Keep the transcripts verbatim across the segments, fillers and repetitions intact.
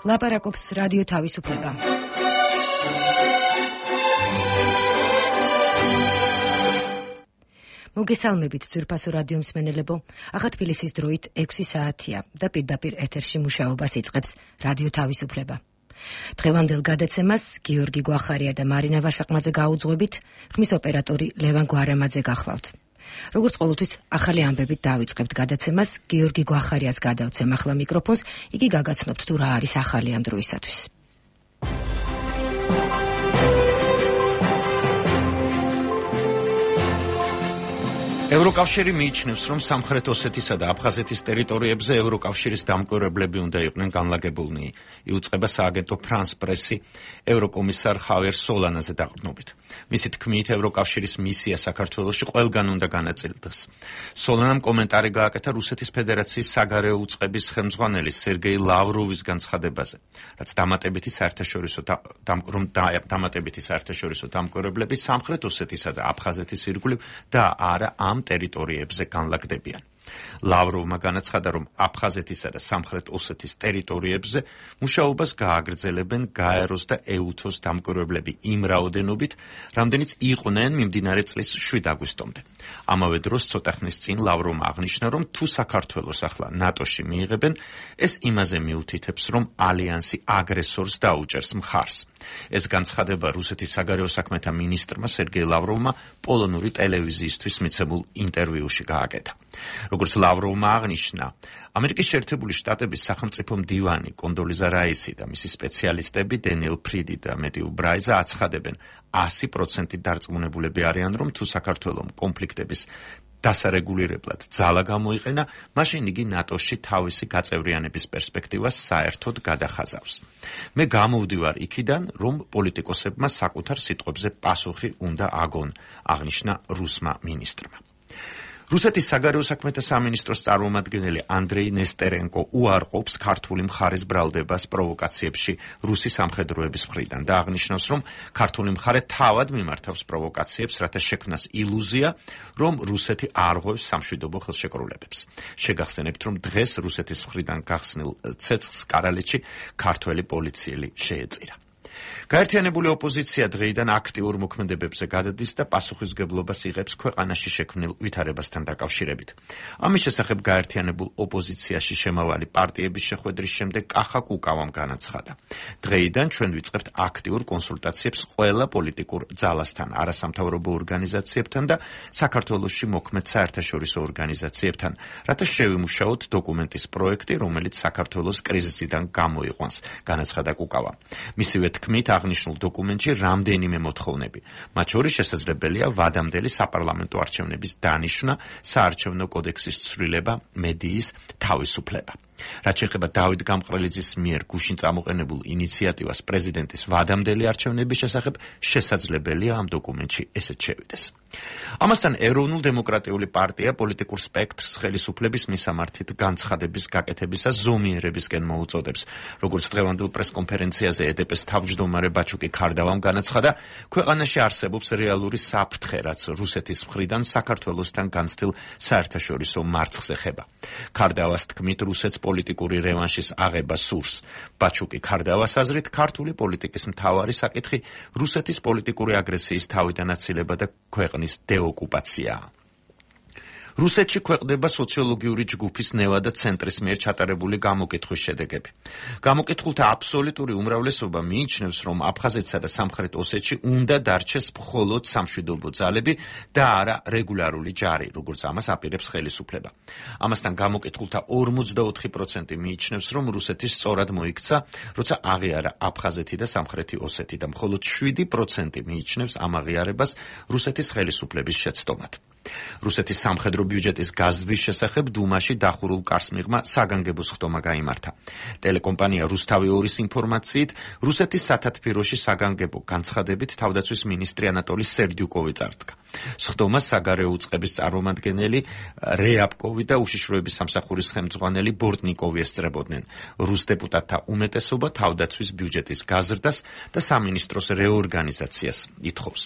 ლაპარაკობს რადიო თავისუფლება. მოგესალმებით ძვირფასო რადიო მსმენელებო. ახლა თბილისის დროით ექვსი საათია და პირდაპირ ეთერში მუშაობას იწყებს რადიო თავისუფლება. დღევანდელ გადაცემას გიორგი გვახარია და მარინა ვაშაყმაძე გაუძღვებით, ხმის ოპერატორი ლევან გვარამაძე გახლავთ. როგორც ყოველთვის ახალი ამბებით დავიწყებთ გადაცემას, გიორგი გვახარიას გადავცემ ახლა მიკროფონს, იგი გაგაცნობთ თუ რა არის ახალი ამ დროისათვის. ევროკავშირი მიიჩნევს, რომ სამხრეთ ოსეთისა და აფხაზეთის ტერიტორიებზე ევროკავშირის დამკვირვებლები უნდა იყვნენ განლაგებულნი. იუწყება სააგენტო ფრანს პრესი ევროკომისარ ხავიერ სოლანაზე დაყრდნობით. მისი თქმით, ევროკავშირის მისია საქართველოში ყველგან უნდა განაწილდეს. სოლანამ კომენტარი გააკეთა რუსეთის ფედერაციის საგარეო უწყების ხელმძღვანელი სერგეი ლავროვის განცხადებაზე, რაც დამატებითი საერთაშორისო რომ დამატებითი საერთაშორისო დამკვირვებლები სამხრეთ ოსეთისა და აფხაზეთის ირგვლივ და არა ამ ტერიტორიებზე განლაგდებიან. ლავროვმა განაცხადა, რომ აფხაზეთისა და სამხრეთ ოსეთის ტერიტორიებზე მუშაობას გააგრძელებენ გაეროს და ეუთოს დამკვირვებლები იმ რაოდენობით, რამდენიც იყვნენ მიმდინარე წლის შვიდ აგვისტომდე. ამავე დროს ცოტა ხნის წინ ლავროვმა აღნიშნა, რომ თუ საქართველოს ახლა ნატოში მიიღებენ, ეს იმაზე მიუთითებს, რომ ალიანსი აგრესორს დაუჭერს მხარს. ეს განცხადება რუსეთის საგარეო საქმეთა მინისტრმა სერგეი ლავროვმა პოლონური ტელევიზიისთვის მიცემულ ინტერვიუში გააკეთა. როგორც ლავროვმა აღნიშნა, ამერიკის შეერთებული შტატების სახელმწიფო მდივანი კონდოლიზა რაისი და მისი სპეციალისტები დენიელ ფრიდი და მეტიუ ბრაიზა აცხადებენ, ასი პროცენტი დარწმუნებულები არიან, რომ თუ საქართველოს კონფლიქტების დასარეგულირებლად ძალა გამოიყენა, მაშინ იგი ნატოში თავისი გაწევრიანების პერსპექტივას საერთოდ გადახაზავს. მე გამოვდივარ იქიდან, რომ პოლიტიკოსებმა საკუთარ სიტყვებზე პასუხი უნდა აგონ, აღნიშნა რუსმა მინისტრმა. რუსეთის საგარეო საქმეთა სამინისტროს წარმომადგენელი ანდრეი ნესტერენკო უარყოფს ქართული მხარის ბრალდებას პროვოკაციებში რუსი სამხედროების მხრიდან და აღნიშნავს, რომ ქართული მხარე თავად მიმართავს პროვოკაციებს, რათა შექმნას ილუზია, რომ რუსეთი არ ღვევს სამშვიდობო ხელშეკრულებებს. შეგახსენებთ, რომ დღეს რუსეთის მხრიდან გახსნილ ცეცხლს კარალეთში ქართველი პოლიციელი შეეწირა. გაერთიანებული ოპოზიცია დღეიდან აქტიურ მოქმედებებზე გადადის და პასუხისმგებლობას იღებს ქვეყანაში შექმნილ ვითარებასთან დაკავშირებით. ამის შესახებ გაერთიანებულ ოპოზიციაში შემავალი პარტიების შეხვედრის შემდეგ კახა კუკავამ განაცხადა. დღეიდან ჩვენ ვიწყებთ აქტიურ კონსულტაციებს ყველა პოლიტიკურ ძალასთან, არასამთავრობო ორგანიზაციებთან და საქართველოში მოქმედ საერთაშორისო ორგანიზაციებთან, რათა შევიმუშაოთ დოკუმენტის პროექტი, რომელიც საქართველოს კრიზისიდან გამოიყვანს, განაცხადა კუკავა. მისივე თქმით, აღნიშნულ დოკუმენტში რამდენიმე მოთხოვნები, მათ შორის შესაძლებელია ვადამდელი საპარლამენტო არჩევნების დანიშვნა, საარჩევნო კოდექსის ცვლილება, მედიის თავისუფლება. რაც შეეხება დავით გამყრელიძის მიერ გუშინ წამოყენებულ ინიციატივას პრეზიდენტის ვადამდელი არჩევნების შესახებ, შესაძლებელია ამ დოკუმენტში ესეც შევიდეს. ამასთან ეროვნულ დემოკრატიული პარტია პოლიტიკურ სპექტრს ხელისუფლების მისამართით განცხადების გაკეთებისას ზომიერებისკენ მოუწოდებს. როგორც დღევანდელ პრესკონფერენციაზე ედეპეს თავმჯდომარე ბაჩუკი ქარდავამ განაცხადა, ქვეყანაში არსებობს რეალური საფრთხე, რაც რუსეთის მხრიდან საქართველოსთან განცდილ საერთაშორისო მარცხს ეხება. ქარდავას თქმით, რუსეთს პოლიტიკური რევანშის აღება სურს. ბაჩუკი ქარდავას აზრით, ქართული პოლიტიკის მთავარი საკითხი რუსეთის პოლიტიკური აგრესიის თავიდან აცილება და ქვეყნის დეოკუპაციაა. რუსეთში ქვეყნდება სოციოლოგიური ჯგუფის ნევა და ცენტრის მიერ ჩატარებული გამოკითხვის შედეგები. გამოკითხულთა აბსოლუტური უმრავლესობა მიიჩნევს, რომ აფხაზეთსა და სამხრეთ ოსეთში უნდა დარჩეს მხოლოდ სამშვიდობო ძალები და არა რეგულარული ჯარი, როგორც ამას აპირებს ხელისუფლება. ამასთან გამოკითხულთა ორმოცდაოთხი პროცენტი მიიჩნევს, რომ რუსეთი სწორად მოიქცა, როცა აღიარა აფხაზეთი და სამხრეთი ოსეთი და მხოლოდ შვიდი პროცენტი მიიჩნევს ამ აღიარებას რუსეთის ხელისუფლების შეცდომად. რუსეთის სამხედრო ბიუჯეტის გაზრდის შესახებ დუმაში დახურულ კარს მიღმა საგანგებო სხდომა გაიმართა. ტელეკომპანია რუსთავი ორის ინფორმაციით, რუსეთის სათათბიროში საგანგებო განცხადებით თავდაცვის მინისტრი ანატოლი სერდიუკოვი წარდგა. სხდომას საგარეო უწყების წარმომადგენელი რეაპკოვი და უშიშროების სამსახურის ხელმძღვანელი ბორტნიკოვი ესწრებოდნენ. რუს დეპუტატთა უმეტესობა თავდაცვის ბიუჯეტის გაზრდას და სამინისტროს რეორგანიზაციას ითხოვს.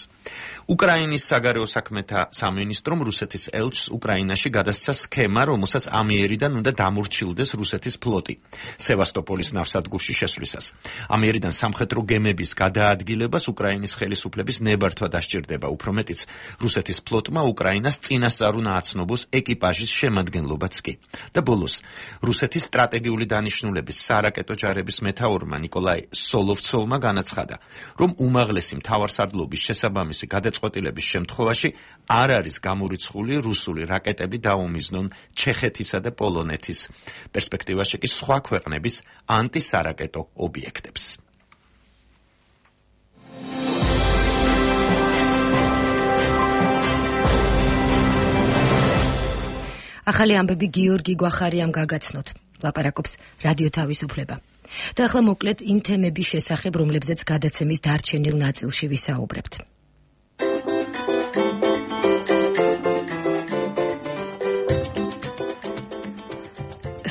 უკრაინის საგარეო საქმეთა სამინისტრომ რუსეთის ელჩს უკრაინაში გადასცა სქემა, რომელსაც ამიერიდან უნდა დამორჩილდეს რუსეთის ფლოტი სევასტოპოლის ნავსადგურში შესვლისას. ამიერიდან სამხედრო გემების გადაადგილებას უკრაინის ხელისუფლების ნებართვა დასჭირდება, უფრო მეტიც რუსეთის ფლოტმა უკრაინას წინასწარ უნდა აცნობოს ეკიპაჟის შემადგენლობაც კი. და ბოლოს, რუსეთის სტრატეგიული დანიშნულების სარაკეტო ჯარების მეთაურმა ნიკოლაი სოლოვცოვმა განაცხადა, რომ უმაღლესი მთავარსარდლობის შესაბამისი გადაწყვეტილების შემთხვევაში არ არის გამორიცხული რუსული რაკეტები დაუმიზნონ ჩეხეთისა და პოლონეთის, პერსპექტივაში კი სხვა ქვეყნების ანტისარაკეტო ობიექტებს. ახალი ამბები გიორგი გვახარიამ გაგაცნოთ. ლაპარაკობს რადიო თავისუფლება. და ახლა მოკლედ იმ თემების შესახებ, რომლებზეც გადაცემის დარჩენილ ნაწილში ვისაუბრებთ.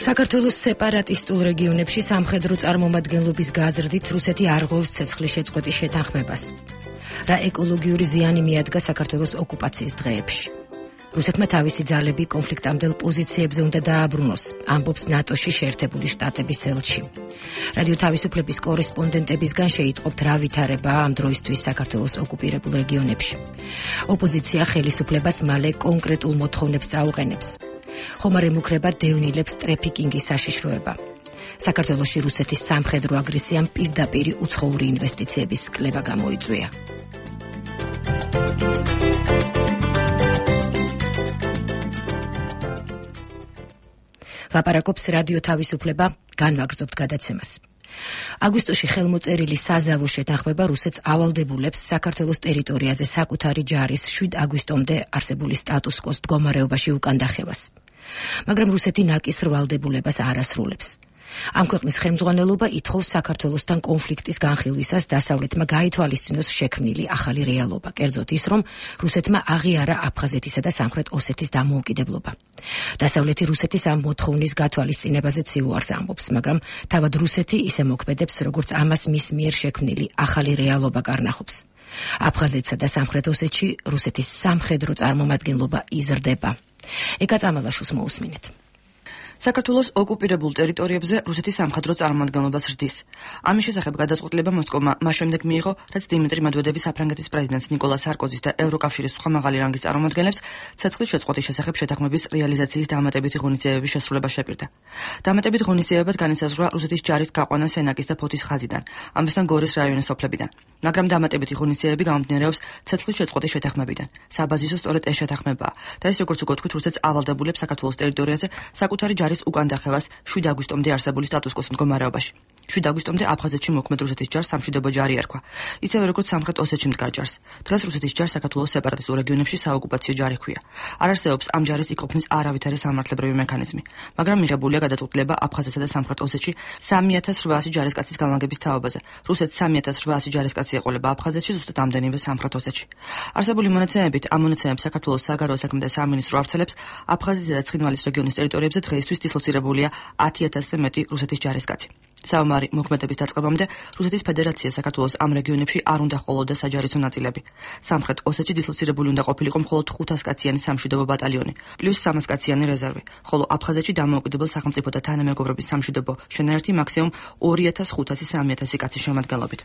საქართველოს სეპარატისტულ რეგიონებში სამხედრო წარმომადგენლობის გაზრდით რუსეთი არ ღვევს ცეცხლის შეწყვეტის შეთანხმებას. რა ეკოლოგიური ზიანი მიადგა საქართველოს ოკუპაციის დღეებში. რუსეთმა თავისი ძალები კონფლიქტამდელ პოზიციებზე უნდა დააბრუნოს, ამბობს ნატოში შეერთებული შტატების ელჩი. რადიო თავისუფლების კორესპონდენტებისგან შეიტყობთ რა ვითარებაა ამ დროისთვის საქართველოს ოკუპირებულ რეგიონებში. ოპოზიცია ხელისუფლებას მალე კონკრეტულ მოთხოვნებს წაუყენებს. ხომარ ემუქრება დევნილებს ტრეფიკინგის საშიშროება. საქართველოში რუსეთის სამხედრო აგრესიამ პირდაპირი უცხოური ინვესტიციების კლება გამოიწვია. ლაპარაკობს რადიო თავისუფლება, განვაგრძობთ გადაცემას. აგვისტოში ხელმოწერილი საზავო შეთანხმება რუსეთს ავალდებულებს საქართველოს ტერიტორიაზე საკუთარი ჯარის შვიდ აგვისტომდე არსებული სტატუს-კვოს მდგომარეობაში უკან დახევას. მაგრამ რუსეთი ნაკის რვალდებულებას არ ასრულებს. ამ ქვეყნის ხელმძღვანელობა ითხოვს საქართველოსთან კონფლიქტის განხილვისას დასავლეთმა გაითვალისწინოს შექმნილი ახალი რეალობა, კერძოდ ის, რომ რუსეთმა აღიარა აფხაზეთისა და სამხრეთ ოსეთის დამოუკიდებლობა. დასავლეთი რუსეთის ამ მოთხოვნის გათვალისწინებაზე ციუარს ამბობს, მაგრამ თავად რუსეთი ისე მოქმედებს, როგორც ამას მის მიერ შექმნილი ახალი რეალობა კარნახობს. აფხაზეთსა და სამხრეთ ოსეთში რუსეთის სამხედრო წარმომადგენლობა იზრდება. ეკა წამალაშვილს მოусმინეთ. საქართველოს ოკუპირებულ ტერიტორიებზე რუსეთის სამხედრო წარმომადგენლობა ზრდის. ამის შესახებ გადაწყვეტილება მოსკოვმა მას შემდეგ მიიღო, რაც დიმიტრი მედვედევი საფრანგეთის პრეზიდენტს ნიკოლა სარკოზის და ევროკავშირის სხვა მაღალი რანგის წარმომადგენლებს ცეცხლის შეწყვეტის შესახებ შეთანხმების რეალიზაციის დამატებითი ღონისძიებების შესრულება შეპირდა. დამატებით ღონისძიებად განისაზღვრა რუსეთის ჯარის გაყვანა სენაკის და ფოთის ხაზიდან, ამასთან გორის რაიონის სოფლებიდან. მაგრამ დამატებითი ღონისძიებები გამომდინარეობს ცეცხლის შეწყვეტის შეთანხმებიდან. საბაზისო სწორედ ეს შეთანხმებაა და ეს როგორც უკვე თქვით, რუსეთს ავალდებულებს საქართველოს ტერიტორიაზე საკუთარი ჯარის უკან დახევას შვიდ აგვისტომდე არსებული სტატუს-კვოს მდგომარეობაში. შვიდ აგვისტომდე აფხაზეთში მოქმედ რუსეთის ჯარს სამშვიდობო ჯარი ერქვა. ისევე როგორც სამხრეთ ოსეთში მდგარ ჯარს. დღეს რუსეთის ჯარს საქართველოს სეპარატისტულ რეგიონებში საოკუპაციო ჯარი ჰქვია. არ არსებობს ამ ჯარის იქ ყოფნის არავითარი სამართლებრივი მექანიზმი, მაგრამ მიღებულია გადაწყვეტილება აფხაზეთსა და სამხრეთ ოსეთში სამი ათას რვაასი ჯარისკაცის განლაგების თაობაზე. რუსეთს სამი ათას რვაასი ჯარისკაცი ეყოლება აფხაზეთში, ზუსტად ამდენივე სამხრეთ ოსეთში. არსებული მონაცემებით, ამ მონაცემებს საქართველოს საგარეო საქმეთა სამინისტრო ავრცელებს აფხაზეთისა და ცხინვალის რეგიონის ტერიტორიებზე დღეისთვის დისლოცირებულია ათი ათასზე მეტი რუსეთის ჯარისკაცი. საომარი მოქმედების დაწყებამდე რუსეთის ფედერაცია საქართველოს ამ რეგიონებში არ უნდა ჰყოლოდა საჯარისო ნაწილები. სამხრეთ ოსეთში დისლოცირებული უნდა ყოფილიყო მხოლოდ ხუთას კაციანი სამშვიდობო ბატალიონი, პლუს სამას კაციანი რეზერვი, ხოლო აფხაზეთში დამოუკიდებელ სახელმწიფოთა თანამეგობრობის სამშვიდობო შენაერთი მაქსიმუმ ორი ათას ხუთასი სამი ათასი კაცის შემადგენლობით.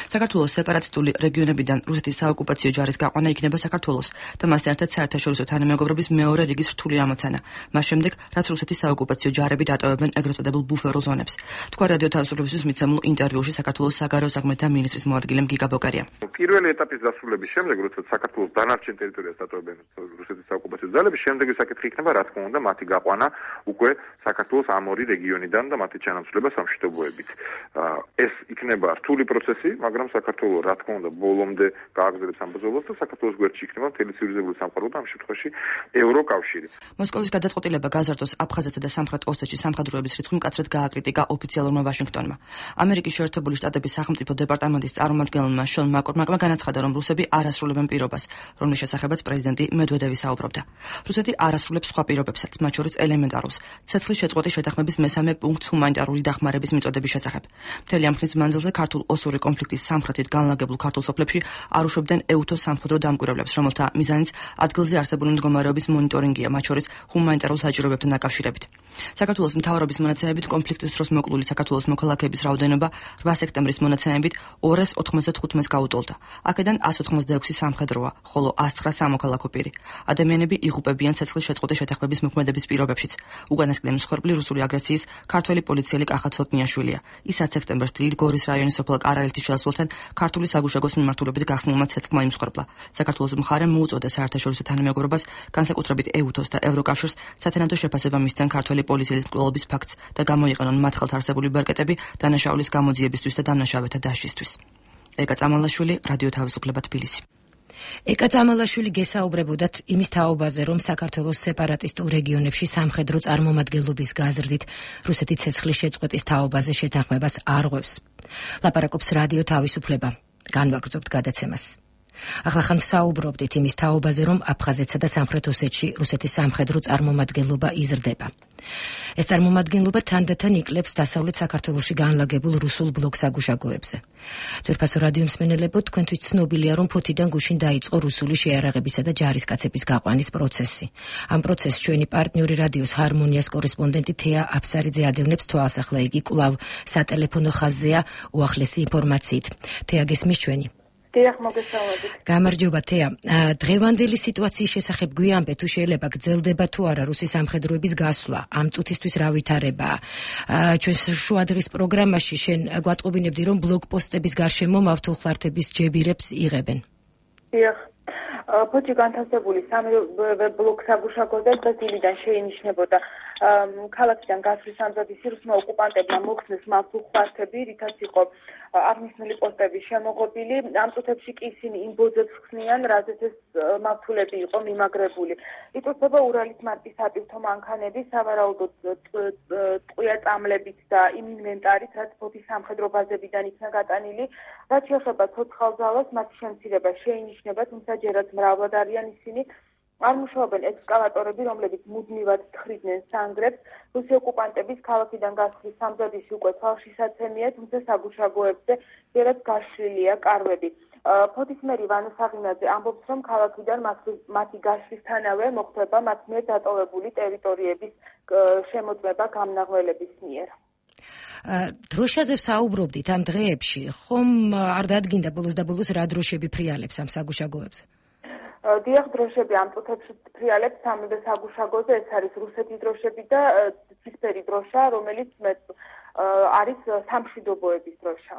საქართველოს სეპარატისტული რეგიონებიდან რუსეთის საოკუპაციო ჯარის გაყვანა იქნება საქართველოს და მასთან ერთად საერთაშორისო თანამეგობრობის მეორე რიგის რთული ამოცანა, მას შემდეგ, რაც რუსეთის საოკუპაციო ჯარები დატოვებენ ეგრეთ წოდებულ ბუფერო ზონებს. თქვა რადიო თავისუფლებისთვის მიცემულ ინტერვიუში საქართველოს საგარეო საქმეთა მინისტრის მოადგილემ გიგა ბოკარია. პირველი ეტაპის დასრულების შემდეგ, როცა საქართველოს დანარჩენ ტერიტორიას დატოვებენ რუსეთის საოკუპაციო ძალები, შემდეგი საკითხი იქნება, რა თქმა უნდა, მათი გაყვანა უკვე საქართველოს ამ ორი რეგიონიდან და მათი ჩანაცვლება სამშვიდობოებით. ეს იქნება რთული პროცესი, მაგრამ საქართველოს, რა თქმა უნდა, ბოლომდე გააგრძელებს ამ ბრძოლას და საქართველოს გვერდში იქნება მთელი ცივილიზებული სამყარო და ამ შემთხვევაში ევროკავშირი. მოსკოვის გადაწყვეტილება გაზარდოს აფხაზეთსა და სამხრეთ ოსეთში სამხედროების რიცხვი მკაცრად გააკრიტიკა ოფიციალურმა ვაშინგტონმა. ამერიკის შეერთებული შტატების სახელმწიფო დეპარტამენტის წარმომადგენელმა შონ მაკორმაკმა განაცხადა, რომ რუსები არ ასრულებენ პირობას, რომლის შესახებაც პრეზიდენტი მედვედევი საუბრობდა. რუსეთი არ ასრულებს სხვა პირობებსაც, მათ შორის ელემენტარულს, ცეცხლის შეწყვეტის შეთანხმების მესამე პუნქტს ჰუმანიტარული დახმარების მიწოდების შესახებ. მთელი ამ ხნის მანძილზე ქართულ-ოსური კონფლიქტის სამხრეთით განლაგებულ ქართულ სოფლებში არ უშვებდნენ ეუთოს სამხედრო დამკვირვებლებს, რომელთა მიზანიც ადგილზე არსებული მდგომარეობის მონიტორინგია, მათ შორის ჰუმანიტარულ საჭიროებებთან დაკავშირებით. საქართველოს მთავრობის მონაცემებით კონფლიქტის დროს მოკლული საქართველოს მოქალაქეების რაოდენობა რვა სექტემბრის მონაცემებით ორას ოთხმოცდახუთს გაუტოლდა. აქედან ასს ოცდაექვსი სამხედროა, ხოლო ასს ცხრა სამოქალაქო პირი. ადამიანები იღუპებიან ცეცხლის შეწყვეტის შეთანხმების მოქმედების პირობებშიც. უკანასკნელი მსხვერპლი რუსული აგრესიის ქართველი პოლიციელი კახა ცოტნიაშვილია. ის ათ სექტემბერს დილით გორის რაიონის სოფელ კარაელთის შესასვლელთან ქართული საგუშაგოს მიმართულებით გახსნილმა ცეცხლმა იმსხვერპლა. საქართველოს მხარემ მოუწოდა საერთაშორისო თანამეგობრობას, განსაკუთრებით ეუთოს და ევროკავშირს სათანადო შეფასება მისცენ ქართველი პოლიციის მკვლელობის ფაქტს და გამოიყენონ მათ ხელთ არსებული ბერკეტები დანაშაულის გამოძიებისთვის და დამნაშავეთა დაშლისთვის. ეკა წამალაშვილი, რადიო თავისუფლება, თბილისი. ეკა წამალაშვილი გესაუბრებოდათ იმის თაობაზე, რომ საქართველოს სეპარატისტულ რეგიონებში სამხედრო წარმომადგენლობის გაზრდით რუსეთი ცეცხლის შეწყვეტის თაობაზე შეთანხმებას არ ღვევს. ლაპარაკობს რადიო თავისუფლება. განვაგრძობთ გადაცემას. ახლახან საუბრობდით იმის თაობაზე, რომ აფხაზეთსა და სამხრეთ ოსეთში რუსეთის სამხედრო წარმომადგენლობა იზრდება. ეს წარმომადგენლობა თანდათან იკლებს დასავლეთ საქართველოში განლაგებულ რუსულ ბლოკ საგუშაგოებზე. ძვირფასო რადიო მსმენელებო, თქვენთვის ცნობილია, რომ ფოთიდან გუშინ დაიწყო რუსული შეიარაღებისა და ჯარისკაცების გაყვანის პროცესი. ამ პროცესს ჩვენი პარტნიორი რადიოს ჰარმონიას კორესპონდენტი თეა აფსარიძე ადევნებს თვალს, ახლა იგი კვლავ სატელეფონო ხაზზეა უახლესი ინფორმაციით. თეა, გესმის ჩვენი? დიახ, მოგესალმებით. გამარჯობა თეა. დღევანდელი სიტუაციის შესახებ გვიანბე, თუ შეიძლება გრძელდება თუ არა რუსის სამხედროების გასვლა, ამ წუთისთვის რა ვითარებაა. ჩვენს შუადღის პროგრამაში შენ გვატყობინებდი, რომ ბლოკპოსტების გარშემო მავთულხლართების ჯებირებს იღებენ. დიახ. ფოთი განთავსებული სამივე ბლოკ საგუშაგოზე დღეს დილიდან შეინიშნებოდა ქალაქიდან გასვლის ამზადის რუსმა ოკუპანტებმა მოხსნეს მავთულხლართები, რითაც იყო აღნიშნული პოსტები შემოღობილი. ამ წუთებში კი ისინი იმ ბოძებს ხსნიან, რაზეც ეს მავთულები იყო მიმაგრებული. იწურთება ურალის მარკის სატვირთო მანქანები, სავარაუდოდ ტყვია წამლებით და იმ ინვენტარით, რაც ფოთის სამხედრო ბაზებიდან იქნა გატანილი. რაც შეეხება ცოცხალ ძალას, მათი შემცირება შეინიშნება, თუმცა ჯერაც მრავლად არიან ისინი. არ მუშაობენ ექსკავატორები, რომლებიც მუდმივად თხრიდნენ სანგრებს. რუსი ოკუპანტების ქალაქიდან გასვლის სამზადისი უკვე თვალშისაცემია, თუმცა საგუშაგოებზე ჯერაც გაშლილია კარვები. ფოთის მერი ვანო საღინაძე ამბობს, რომ ქალაქიდან მათი გაშლისთანავე მოხდება მათ მიერ დატოვებული ტერიტორიების შემოწმება გამნაღველების მიერ. დროშაზე საუბრობდით ამ დღეებში, ხომ არ დადგინდა ბოლოს და ბოლოს რა დროშები ფრიალებს ამ საგუშაგოებზე? დიახ, დროშები ამ წუთებში ფრიალებს სამივე საგუშაგოზე, ეს არის რუსეთის დროშები და ცისფერი დროშა, რომელიც არის სამშვიდობოების დროშა.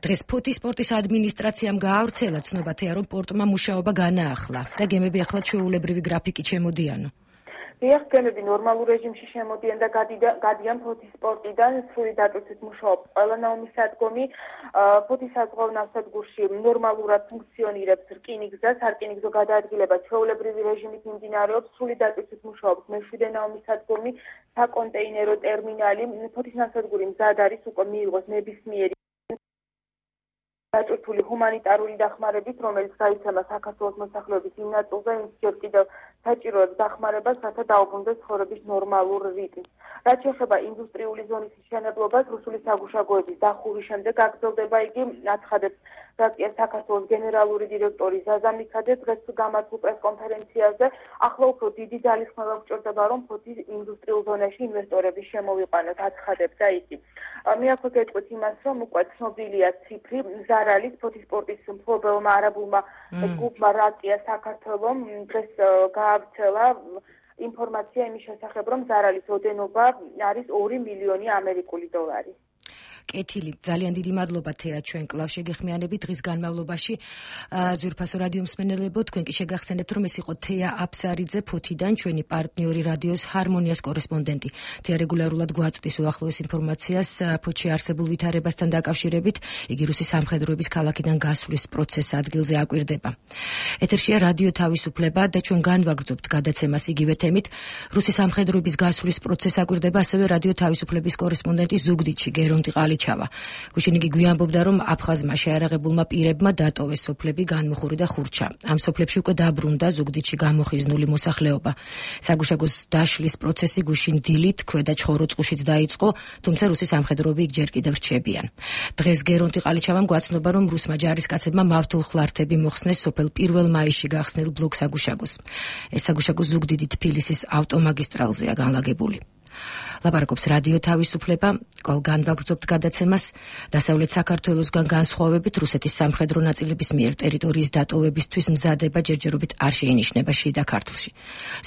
დღეს ფოთის სპორტის ადმინისტრაციამ გაავრცელა ცნობა, რომ პორტმა მუშაობა განაახლა და გემები ახლა ჩვეულებრივი გრაფიკით შემოდიანო. დიახ, გემები ნორმალურ რეჟიმში შემოდიან და გადიან ფოთის სპორტიდან, სრული დატვირთვით მუშაობს ყველა ნავმისადგომი. ფოთის საზღვაო ნავსადგურში ნორმალურად ფუნქციონირებს რკინიგზა, სარკინიგზო გადაადგილება ჩვეულებრივი რეჟიმით მიმდინარეობს, სრული დატვირთვით მუშაობს მეშვიდე ნავმისადგომი, საკონტეინერო ტერმინალი. ფოთის ნავსადგური მზად არის უკვე მიიღოს ნებისმიერი დატვირთული ჰუმანიტარული დახმარებით, რომელიც გაიცემა საქართველოს მოსახლეობის იმ ნაწილზე, იმ ჯერ კიდევ საჭიროებს დახმარებას, რათა დაუბრუნდეს ცხოვრების ნორმალურ რიტმს. რაც შეეხება ინდუსტრიული ზონის მშენებლობას, რუსული საგუშაგოების დახურვის შემდეგ გაგრძელდება იგი, აცხადებს რაკია საქართველოს გენერალური დირექტორი ზაზა მიქადე დღეს გამართულ პრესკონფერენციაზე. ახლა უფრო დიდი ძალისხმევა გვჭირდება, რომ ფოთის ინდუსტრიულ ზონაში ინვესტორები შემოვიყვანოთ, აცხადებდა იგი. მე აქვე გეტყვით იმას, რომ უკვე ცნობილია ციფრი ზარალის ფოთის სპორტის მფლობელმა არაბულმა ჯგუფმა რაკია საქართველოს დღეს გაავრცელა ინფორმაცია იმის შესახებ, რომ ზარალის ოდენობა არის ორი მილიონი ამერიკული დოლარი. კეთილი, ძალიან დიდი მადლობა თეა ჩვენ კლავ შეგეხმიანებით დღის განმავლობაში. ზურფასო რადიო მსმენელებო, თქვენ კი შეგახსენებთ, რომ ეს იყო თეა აფსარიძე ფოთიდან, ჩვენი პარტნიორი რადიოს ჰარმონიას კორესპონდენტი. თეა რეგულარულად გვაწვდის უახლოეს ინფორმაციას ფოთში არსებულ ვითარებასთან დაკავშირებით. იგი რუსის სამხედროების ქალაქიდან გასვლის პროცესს ადგილზე აკვირდება. ეთერშია რადიო თავისუფლება და ჩვენ განვაგრძობთ გადაცემას იგივე თემით. რუსის სამხედროების გასვლის პროცესს აკვირდება ასევე რადიო თავისუფლების კორესპონდენტი ზუგდიდში გერონტი ყალიჩავა. გუშინ იგი გვიანბობდა, რომ აფხაზმა შეარაღებულმა პირებმა დატოვეს სოფლები განმუხური და ხურჩა. ამ სოფლებში უკვე დაბრუნდა ზუგდიდში გამოხიზნული მოსახლეობა. საგუშაგოს დაშლის პროცესი გუშინ დილით ქვედა ჩხოროწყუშიც დაიწყო, თუმცა რუსის სამხედროები იქ ჯერ კიდევ რჩებიან. დღეს გერონტი ყალიჩავამ გვაცნობა, რომ რუსმა ჯარისკაცებმა მავთულ ხლართები მოხსნეს სოფელ პირველ მაისში გახსნილ ბლოკ საგუშაგოს. ეს საგუშაგო ზუგდიდი თბილისის ავტომაგისტრალზეა განლაგებული. ლაპარაკობს რადიო თავისუფლება, განვაგრძობთ გადაცემას. დასავლეთ საქართველოსგან განსხვავებით რუსეთის სამხედრო ნაწილების მიერ ტერიტორიის დატოვებისთვის მზადება ჯერჯერობით არ შეინიშნება შიდა ქართლში.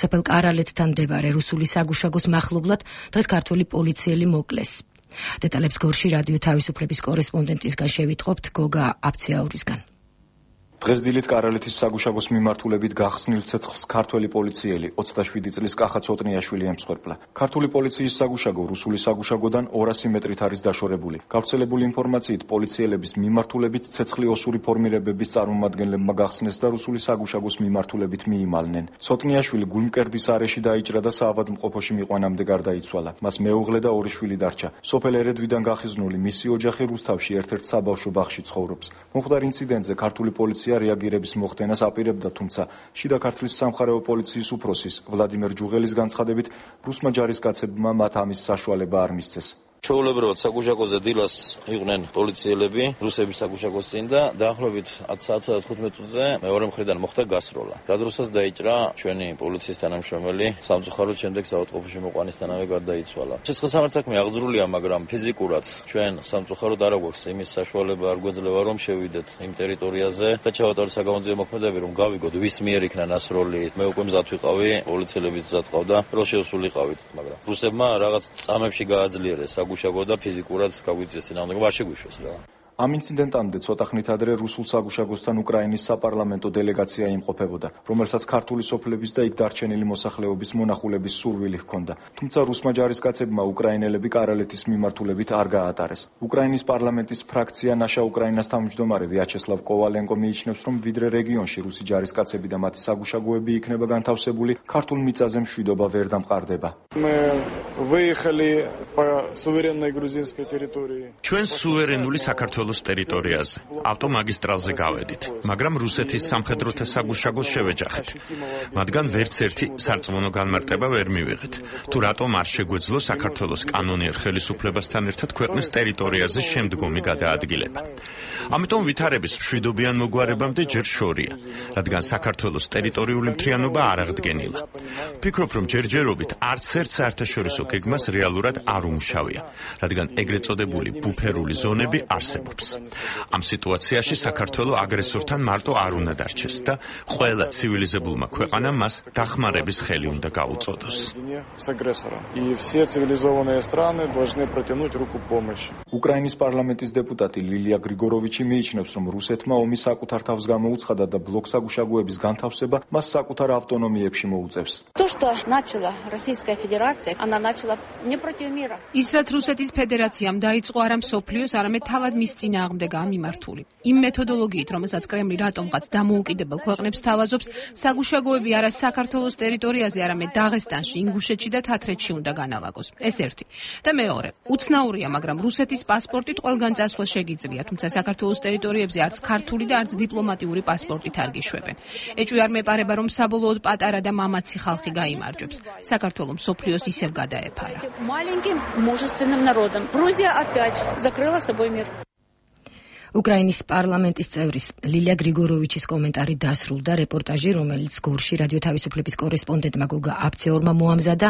სოფელ კარალეთთან მდებარე რუსული საგუშაგოს მახლობლად დღეს ქართველი პოლიციელი მოკლეს. დეტალებს გორში რადიო თავისუფლების კორესპონდენტისგან შევიტყობთ გოგა აფციაურისგან. დღეს დილით კარალეთის საგუშაგოს მიმართულებით გახსნილ ცეცხლს ქართველი პოლიციელი ოცდაშვიდი წლის კახა ცოტნიაშვილი ემსხვერპლა. ქართული პოლიციის საგუშაგო რუსული საგუშაგოდან ორასი მეტრით არის დაშორებული. გავრცელებული ინფორმაციით პოლიციელების მიმართულებით ცეცხლი ოსური ფორმირებების წარმომადგენლებმა გახსნეს და რუსული საგუშაგოს მიმართულებით მიიმალნენ. ცოტნიაშვილი გულმკერდის არეში დაიჭრა და საავადმყოფოში მიყვანამდე გარდაიცვალა. მას მეუღლე და ორი შვილი დარჩა. სოფელ ერედვიდან გახიზნული მისი ოჯახი რუსთავში ერთ-ერთ საბავშვო ბაღში ცხოვრობს. მომხდარ ინციდენტზე ქართული პოლიცია რეაგირების მოხდენას აპირებდა, თუმცა შიდა ქართლის სამხარეო პოლიციის უფროსის ვლადიმერ ჯუღელის განცხადებით რუსმა ჯარისკაცებმა მათ ამის საშუალება არ მისცეს. ჩვეულებრივად საგუშაგოზე დილას იყვნენ პოლიციელები რუსების საგუშაგოს წინ და დაახლოებით ათი საათსა და თხუთმეტ მინუტზე მეორე მხრიდან მოხდა გასროლა. გადროსაც დაიჭრა ჩვენი პოლიციის თანამშრომელი სამწუხაროდ შემდეგ საავადმყოფოში მოყვანისთანავე გარდაიცვალა. ცეცხლსამართ საქმე აღძრულია, მაგრამ ფიზიკურად ჩვენ სამწუხაროდ არ აქვს იმის საშუალება არ გვეძლევა რომ შევიდეთ იმ ტერიტორიაზე და ჩავატაროთ საგამოძიებო მოქმედებები რომ გავიგოთ ვის მიერ იქნა ნასროლი. მე უკვე მზად ვიყავი, პოლიციელები მზად ყავდა, რო შევსულიყავით, მაგრამ რუსებმა რაღაც წამებში გააძლიერეს საგუშაგო და ფიზიკურად გაგვიწეს წინააღმდეგობა არ შეგვიშვეს რა. ამ ინციდენტამდე ცოტა ხნით ადრე რუსულ საგუშაგოსთან უკრაინის საპარლამენტო დელეგაცია იმყოფებოდა, რომელსაც ქართული სოფლების და იქ დარჩენილი მოსახლეობის მონახულების სურვილი ჰქონდა. თუმცა რუსმა ჯარისკაცებმა უკრაინელები კარალეთის მიმართულებით არ გაატარეს. უკრაინის პარლამენტის ფრაქცია ნაშა უკრაინას თავმჯდომარე ვიაჩესლავ კოვალენკო მიიჩნევს, რომ ვიდრე რეგიონში რუსი ჯარისკაცები და მათი საგუშაგოები იქნება განთავსებული, ქართულ მიწაზე მშვიდობა ვერ დამყარდება. ჩვენ სუვერენული საქართველოს ტერიტორიაზე, ავტომაგისტრალზე გავედით, მაგრამ რუსეთის სამხედროთა საგუშაგოს შევეჯახეთ. მათგან ვერც ერთი სარწმუნო განმარტება ვერ მივიღეთ. თუ რატომ არ შეგვეძლო საქართველოს კანონიერ ხელისუფლებასთან ერთად ქვეყნის ტერიტორიაზე შემდგომი გადაადგილება. ამიტომ ვითარების მშვიდობიან მოგვარებამდე ჯერ შორია, რადგან საქართველოს ტერიტორიული მთლიანობა არ აღდგენილა. ვფიქრობ, რომ ჯერჯერობით არც ერთ საერთაშორისო გეგმას რეალურად არ უმუშავია, რადგან ეგრეთ წოდებული ბუფერული ზონები არსებობს. ამ სიტუაციაში საქართველო აგრესორთან მარტო არ უნდა დარჩეს და ყველა ცივილიზებულმა ქვეყანამ მას დახმარების ხელი უნდა გაუწოდოს. უკრაინის პარლამენტის დეპუტატი ლილია გრიგოროვიჩი მიიჩნევს, რომ რუსეთმა ომი საკუთარ თავს გამოუცხადა და ბლოკ საგუშაგოების განთავსება მას საკუთარ ავტონომიებში მოუწევს. ის რაც რუსეთის ფედერაციამ დაიწყო არა მსოფლიოს, არამედ თავად მის წინააღმდეგაა მიმართული. იმ მეთოდოლოგიით, რომელსაც კრემლი რატომღაც დამოუკიდებელ ქვეყნებს თავაზობს, საგუშაგოები არა საქართველოს ტერიტორიაზე, არამედ დაღესტანში, ინგუშეთში და თათრეთში უნდა განალაგოს. ეს ერთი. და მეორე, უცნაურია, მაგრამ რუსეთის პასპორტით ყველგან წასვლა შეგიძლია, თუმცა საქართველოს ტერიტორიებზე არც ქართული და არც დიპლომატიური პასპორტით არ გიშვებენ. ეჭვი არ მეპარება, რომ საბოლოოდ პატარა და მამაცი ხალხი გაიმარჯვებს. საქართველო მსოფლიოს ისევ გადაეფარა. Маленьким мужественным народом. Грузия опять закрыла собой мир. უკრაინის პარლამენტის წევრის ლილია გრიგოროვიჩის კომენტარი დასრულდა. რეპორტაჟი, რომელიც გორში რადიო თავისუფლების კორესპონდენტმა გოგა აფციაურმა მოამზადა,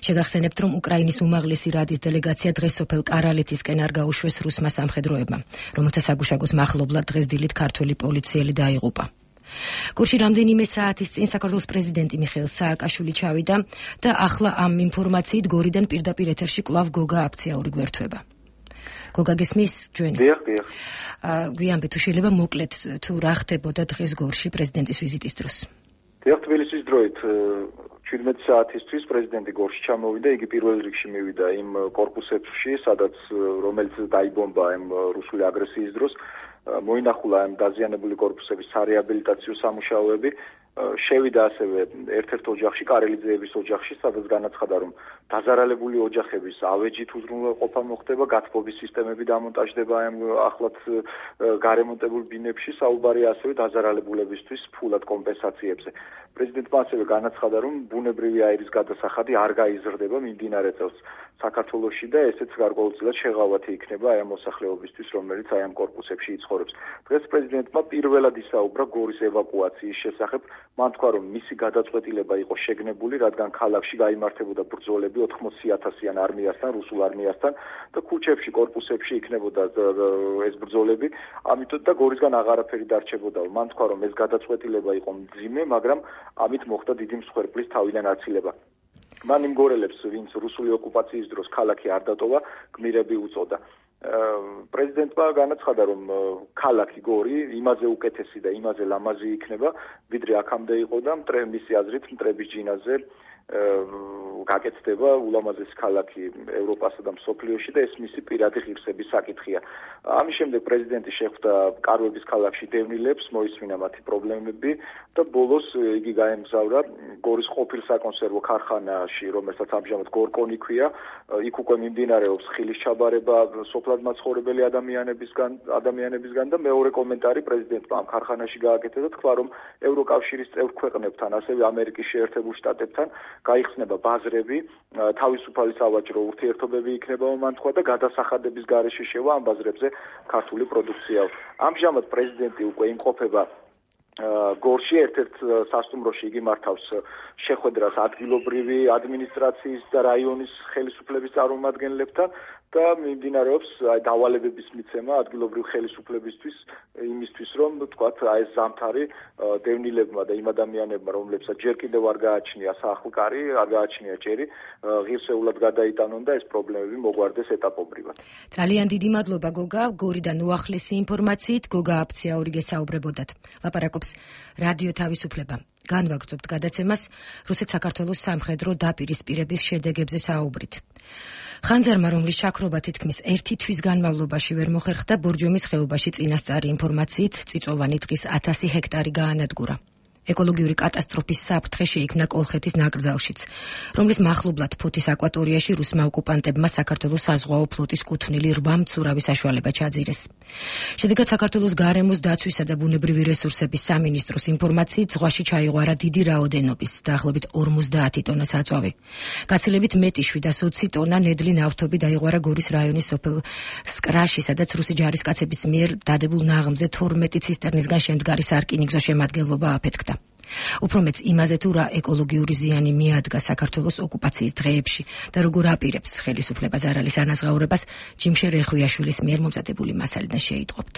შეგახსენებთ, რომ უკრაინის უმაღლესი რადის დელეგაცია დღეს სოფელ კარალეთისკენ არ გაუშვეს რუსმა სამხედროებმა, რომელთა საგუშაგოს მახლობლად დღეს დილით ქართველი პოლიციელი დაიღუპა. გორში რამდენიმე საათის წინ საქართველოს პრეზიდენტი მიხეილ სააკაშვილი ჩავიდა და ახლა ამ ინფორმაციით გორიდან პირდაპირ ეთერში კვლავ გოგა აფციაური გვერდება. გოგაგესმის ჩვენი. დიახ, დიახ. გვიანბე თუ შეიძლება მოკლედ თუ რა ხდებოდა დღეს გორში პრეზიდენტის ვიზიტის დროს. დიახ, თბილისის დროით შვიდმეტი საათისთვის პრეზიდენტი გორში ჩამოვიდა, იგი პირველ რიგში მივიდა იმ კორპუსებში, სადაც რომელიც დაიბომბა იმ რუსული აგრესიის დროს, მოინახულა ამ დაზიანებული კორპუსების სარეაბილიტაციო სამუშაოები, შევიდა ასევე ერთ-ერთ ოჯახში, კარელიძეების ოჯახში, სადაც განაცხადა, რომ დაზარალებული ოჯახების ავეჯით უზრუნველყოფა მოხდება, გათბობის სისტემები დამონტაჟდება ამ ახლად გარემონტებულ ბინებში, საუბარია ასევე დაზარალებულებისთვის ფულად კომპენსაციებზე. პრეზიდენტმა ასევე განაცხადა, რომ ბუნებრივი აირის გადასახადი არ გაიზრდება მიმდინარე წელს საქართველოში და ესეც გარკვეულწილად შეღავათი იქნება აი ამ მოსახლეობისთვის, რომელიც აი ამ კორპუსებში იცხოვრებს. დღეს პრეზიდენტმა პირველად ისაუბრა გორის ევაკუაციის შესახებ. მან თქვა, რომ მისი გადაწყვეტილება იყო შეგნებული, რადგან ქალაქში გაიმართებოდა ბრძოლები ოთხმოცი ათასიან არმიასთან, რუსულ არმიასთან და ქუჩებში, კორპუსებში იქნებოდა ეს ბრძოლები, ამიტომ და გორისგან აღარაფერი დარჩებოდაო. მან თქვა, რომ ეს გადაწყვეტილება იყო მძიმე, მაგრამ ამით მოხდა დიდი მსხვერპლის თავიდან აცილება. მან იმგორელებს, ვინც რუსული ოკუპაციის დროს ქალაქი არ დატოვა, გმირები უწოდა. პრეზიდენტმა განაცხადა, რომ ქალაქი გორი იმაზე უკეთესი და იმაზე ლამაზი იქნება, ვიდრე აქამდე იყო და მისი აზრით მტრების ჯინაზე გაკეთდება ულამაზესი ქალაქი ევროპასა და მსოფლიოში და ეს მისი პირადი ღირსების საკითხია. ამის შემდეგ პრეზიდენტი შეხვდა კარვების ქალაქში დევნილებს, მოისმინა მათი პრობლემები და ბოლოს იგი გაემგზავრა გორის ყოფილ საკონსერვო ქარხანაში, რომელსაც ამჟამად გორკონი ქვია. იქ უკვე მიმდინარეობს ხილის ჩაბარება სოფლად მაცხოვრებელი ადამიანებისგან, ადამიანებისგან და მეორე კომენტარი პრეზიდენტმა ამ ქარხანაში გააკეთა და თქვა, რომ ევროკავშირის წევრ ქვეყნებთან, ასევე ამერიკის შეერთებულ შტატებთან გაიხსნება ბაზრები, თავისუფალი სავაჭრო ურთიერთობები იქნება, მან თქვა და გადასახადების გარეშე შევა ამ ბაზრებზე ქართული პროდუქცია. ამჟამად პრეზიდენტი უკვე იმყოფება გორში, ერთ-ერთ სასტუმროში იგი მართავს შეხვედრას ადგილობრივი ადმინისტრაციის და რაიონის ხელისუფლების წარმომადგენლებთან და მიმდინარეობს დავალებების მიცემა ადგილობრივ ხელისუფლებისთვის იმისთვის, რომ თქვათ აი ეს ზამთარი დევნილებმა და იმ ადამიანებმა, რომლებსაც ჯერ კიდევ არ გააჩნია სახლკარი, არ გააჩნია ჭერი, ღირსეულად გადაიტანონ და ეს პრობლემები მოგვარდეს ეტაპობრივად. ძალიან დიდი მადლობა გოგა, გორიდან უახლესი ინფორმაციით გოგა აფციაური გესაუბრებოდათ. ლაპარაკობს რადიო თავისუფლება. განვაგრძობთ გადაცემას რუსეთ-საქართველოს სამხედრო დაპირისპირების შედეგებზე საუბრით. ხანძარმა, რომლის ჩაქრობა თითქმის ერთი თვის განმავლობაში ვერ მოხერხდა, ბორჯომის ხეობაში წინასწარი ინფორმაციით წიწვოვანი ტყის ათასი ჰექტარი გაანადგურა. ეკოლოგიური კატასტროფის საფრთხე შეიქმნა კოლხეთის ნაკრძალშიც, რომლის მახლობლად ფოთის აკვატორიაში რუსმა ოკუპანტებმა საქართველოს საზღვაო ფლოტის კუთვნილი რვა მცურავი საშუალება ჩაძირეს. შედეგად საქართველოს გარემოს დაცვისა და ბუნებრივი რესურსების სამინისტროს ინფორმაციით ზღვაში ჩაიღვარა დიდი რაოდენობის, დაახლოებით ორმოცდაათი ტონა საწვავი. გაცილებით მეტი შვიდას ოცი ტონა ნედლი ნავთობი დაიღვარა გორის რაიონის სოფელ სკრაში, სადაც რუსი ჯარისკაცების მიერ დადებულ ნაღმზე თორმეტი ცისტერნისგან შემდგარი სარკინიგზო შემადგენლობა აფეთქდა. უფრო მეც იმაზე თუ რა ეკოლოგიური ზიანი მიადგა საქართველოს ოკუპაციის დღეებში და როგორ აპირებს ხელისუფლება ზარალის ანაზღაურებას, ჯიმშე რეხვიაშვილის მიერ მომზადებული მასალიდან შეიტყობთ.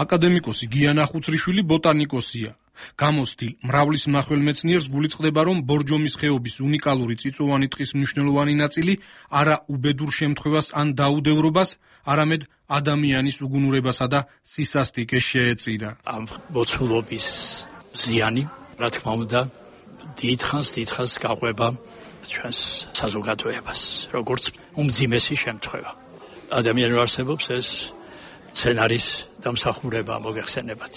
აკადემიკოსი გიანა ხუცრიშვილი ბოტანიკოსია. გამოსtildeილ მრავლის მნახველმეცნიერს გულიწყდება, რომ ბორჯომის ხეობის უნიკალური წიწვოვანი ტყის მნიშვნელოვანი ნაწილი არა უბედურ შემთხვევას ან დაუდევრობას, არამედ ადამიანის უგუნურებასა და სისასტიკეს შეეწირა. ამ მოცულობის ზიანი, რა თქმა უნდა, დიდხანს დიდხანს გაყვება ჩვენს საზოგადოებას, როგორც უმძიმესი შემთხვევა. ადამიანურ არსებობს ეს სცენარის დამსახურება მოგეხსენებათ.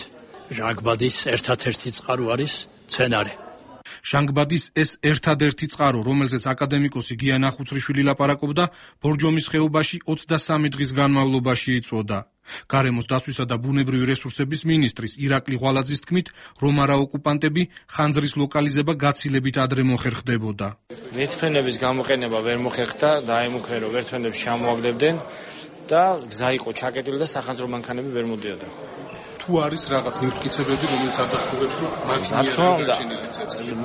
ჟანგბადის ერთადერთი წყარო არის სცენარი. ჟანგბადის ეს ერთადერთი წყარო, რომელზეც აკადემიკოსი გიანა ხუცრიშვილი ლაპარაკობდა, ბორჯომის ხეობაში ოცდასამი დღის განმავლობაში იწვოდა. გარემოს დაცვისა და ბუნებრივი რესურსების მინისტრის ირაკლი ღვალაძის თქმით, რომ არა ოკუპანტები ხანძრის ლოკალიზება გაცილებით ადრე მოხერხდებოდა. ვერტმფრენების გამოყენება ვერ მოხერხდა, დაემუქრე რომ ვერტმფრენებს ჩამოაგდებდნენ და გზა იყო ჩაკეტილი და სახანძრო მანქანები ვერ მოდიოდა. თუ არის რაღაც ნიფტკიცებები, რომელიც ადასტურებს, რომ მანქანები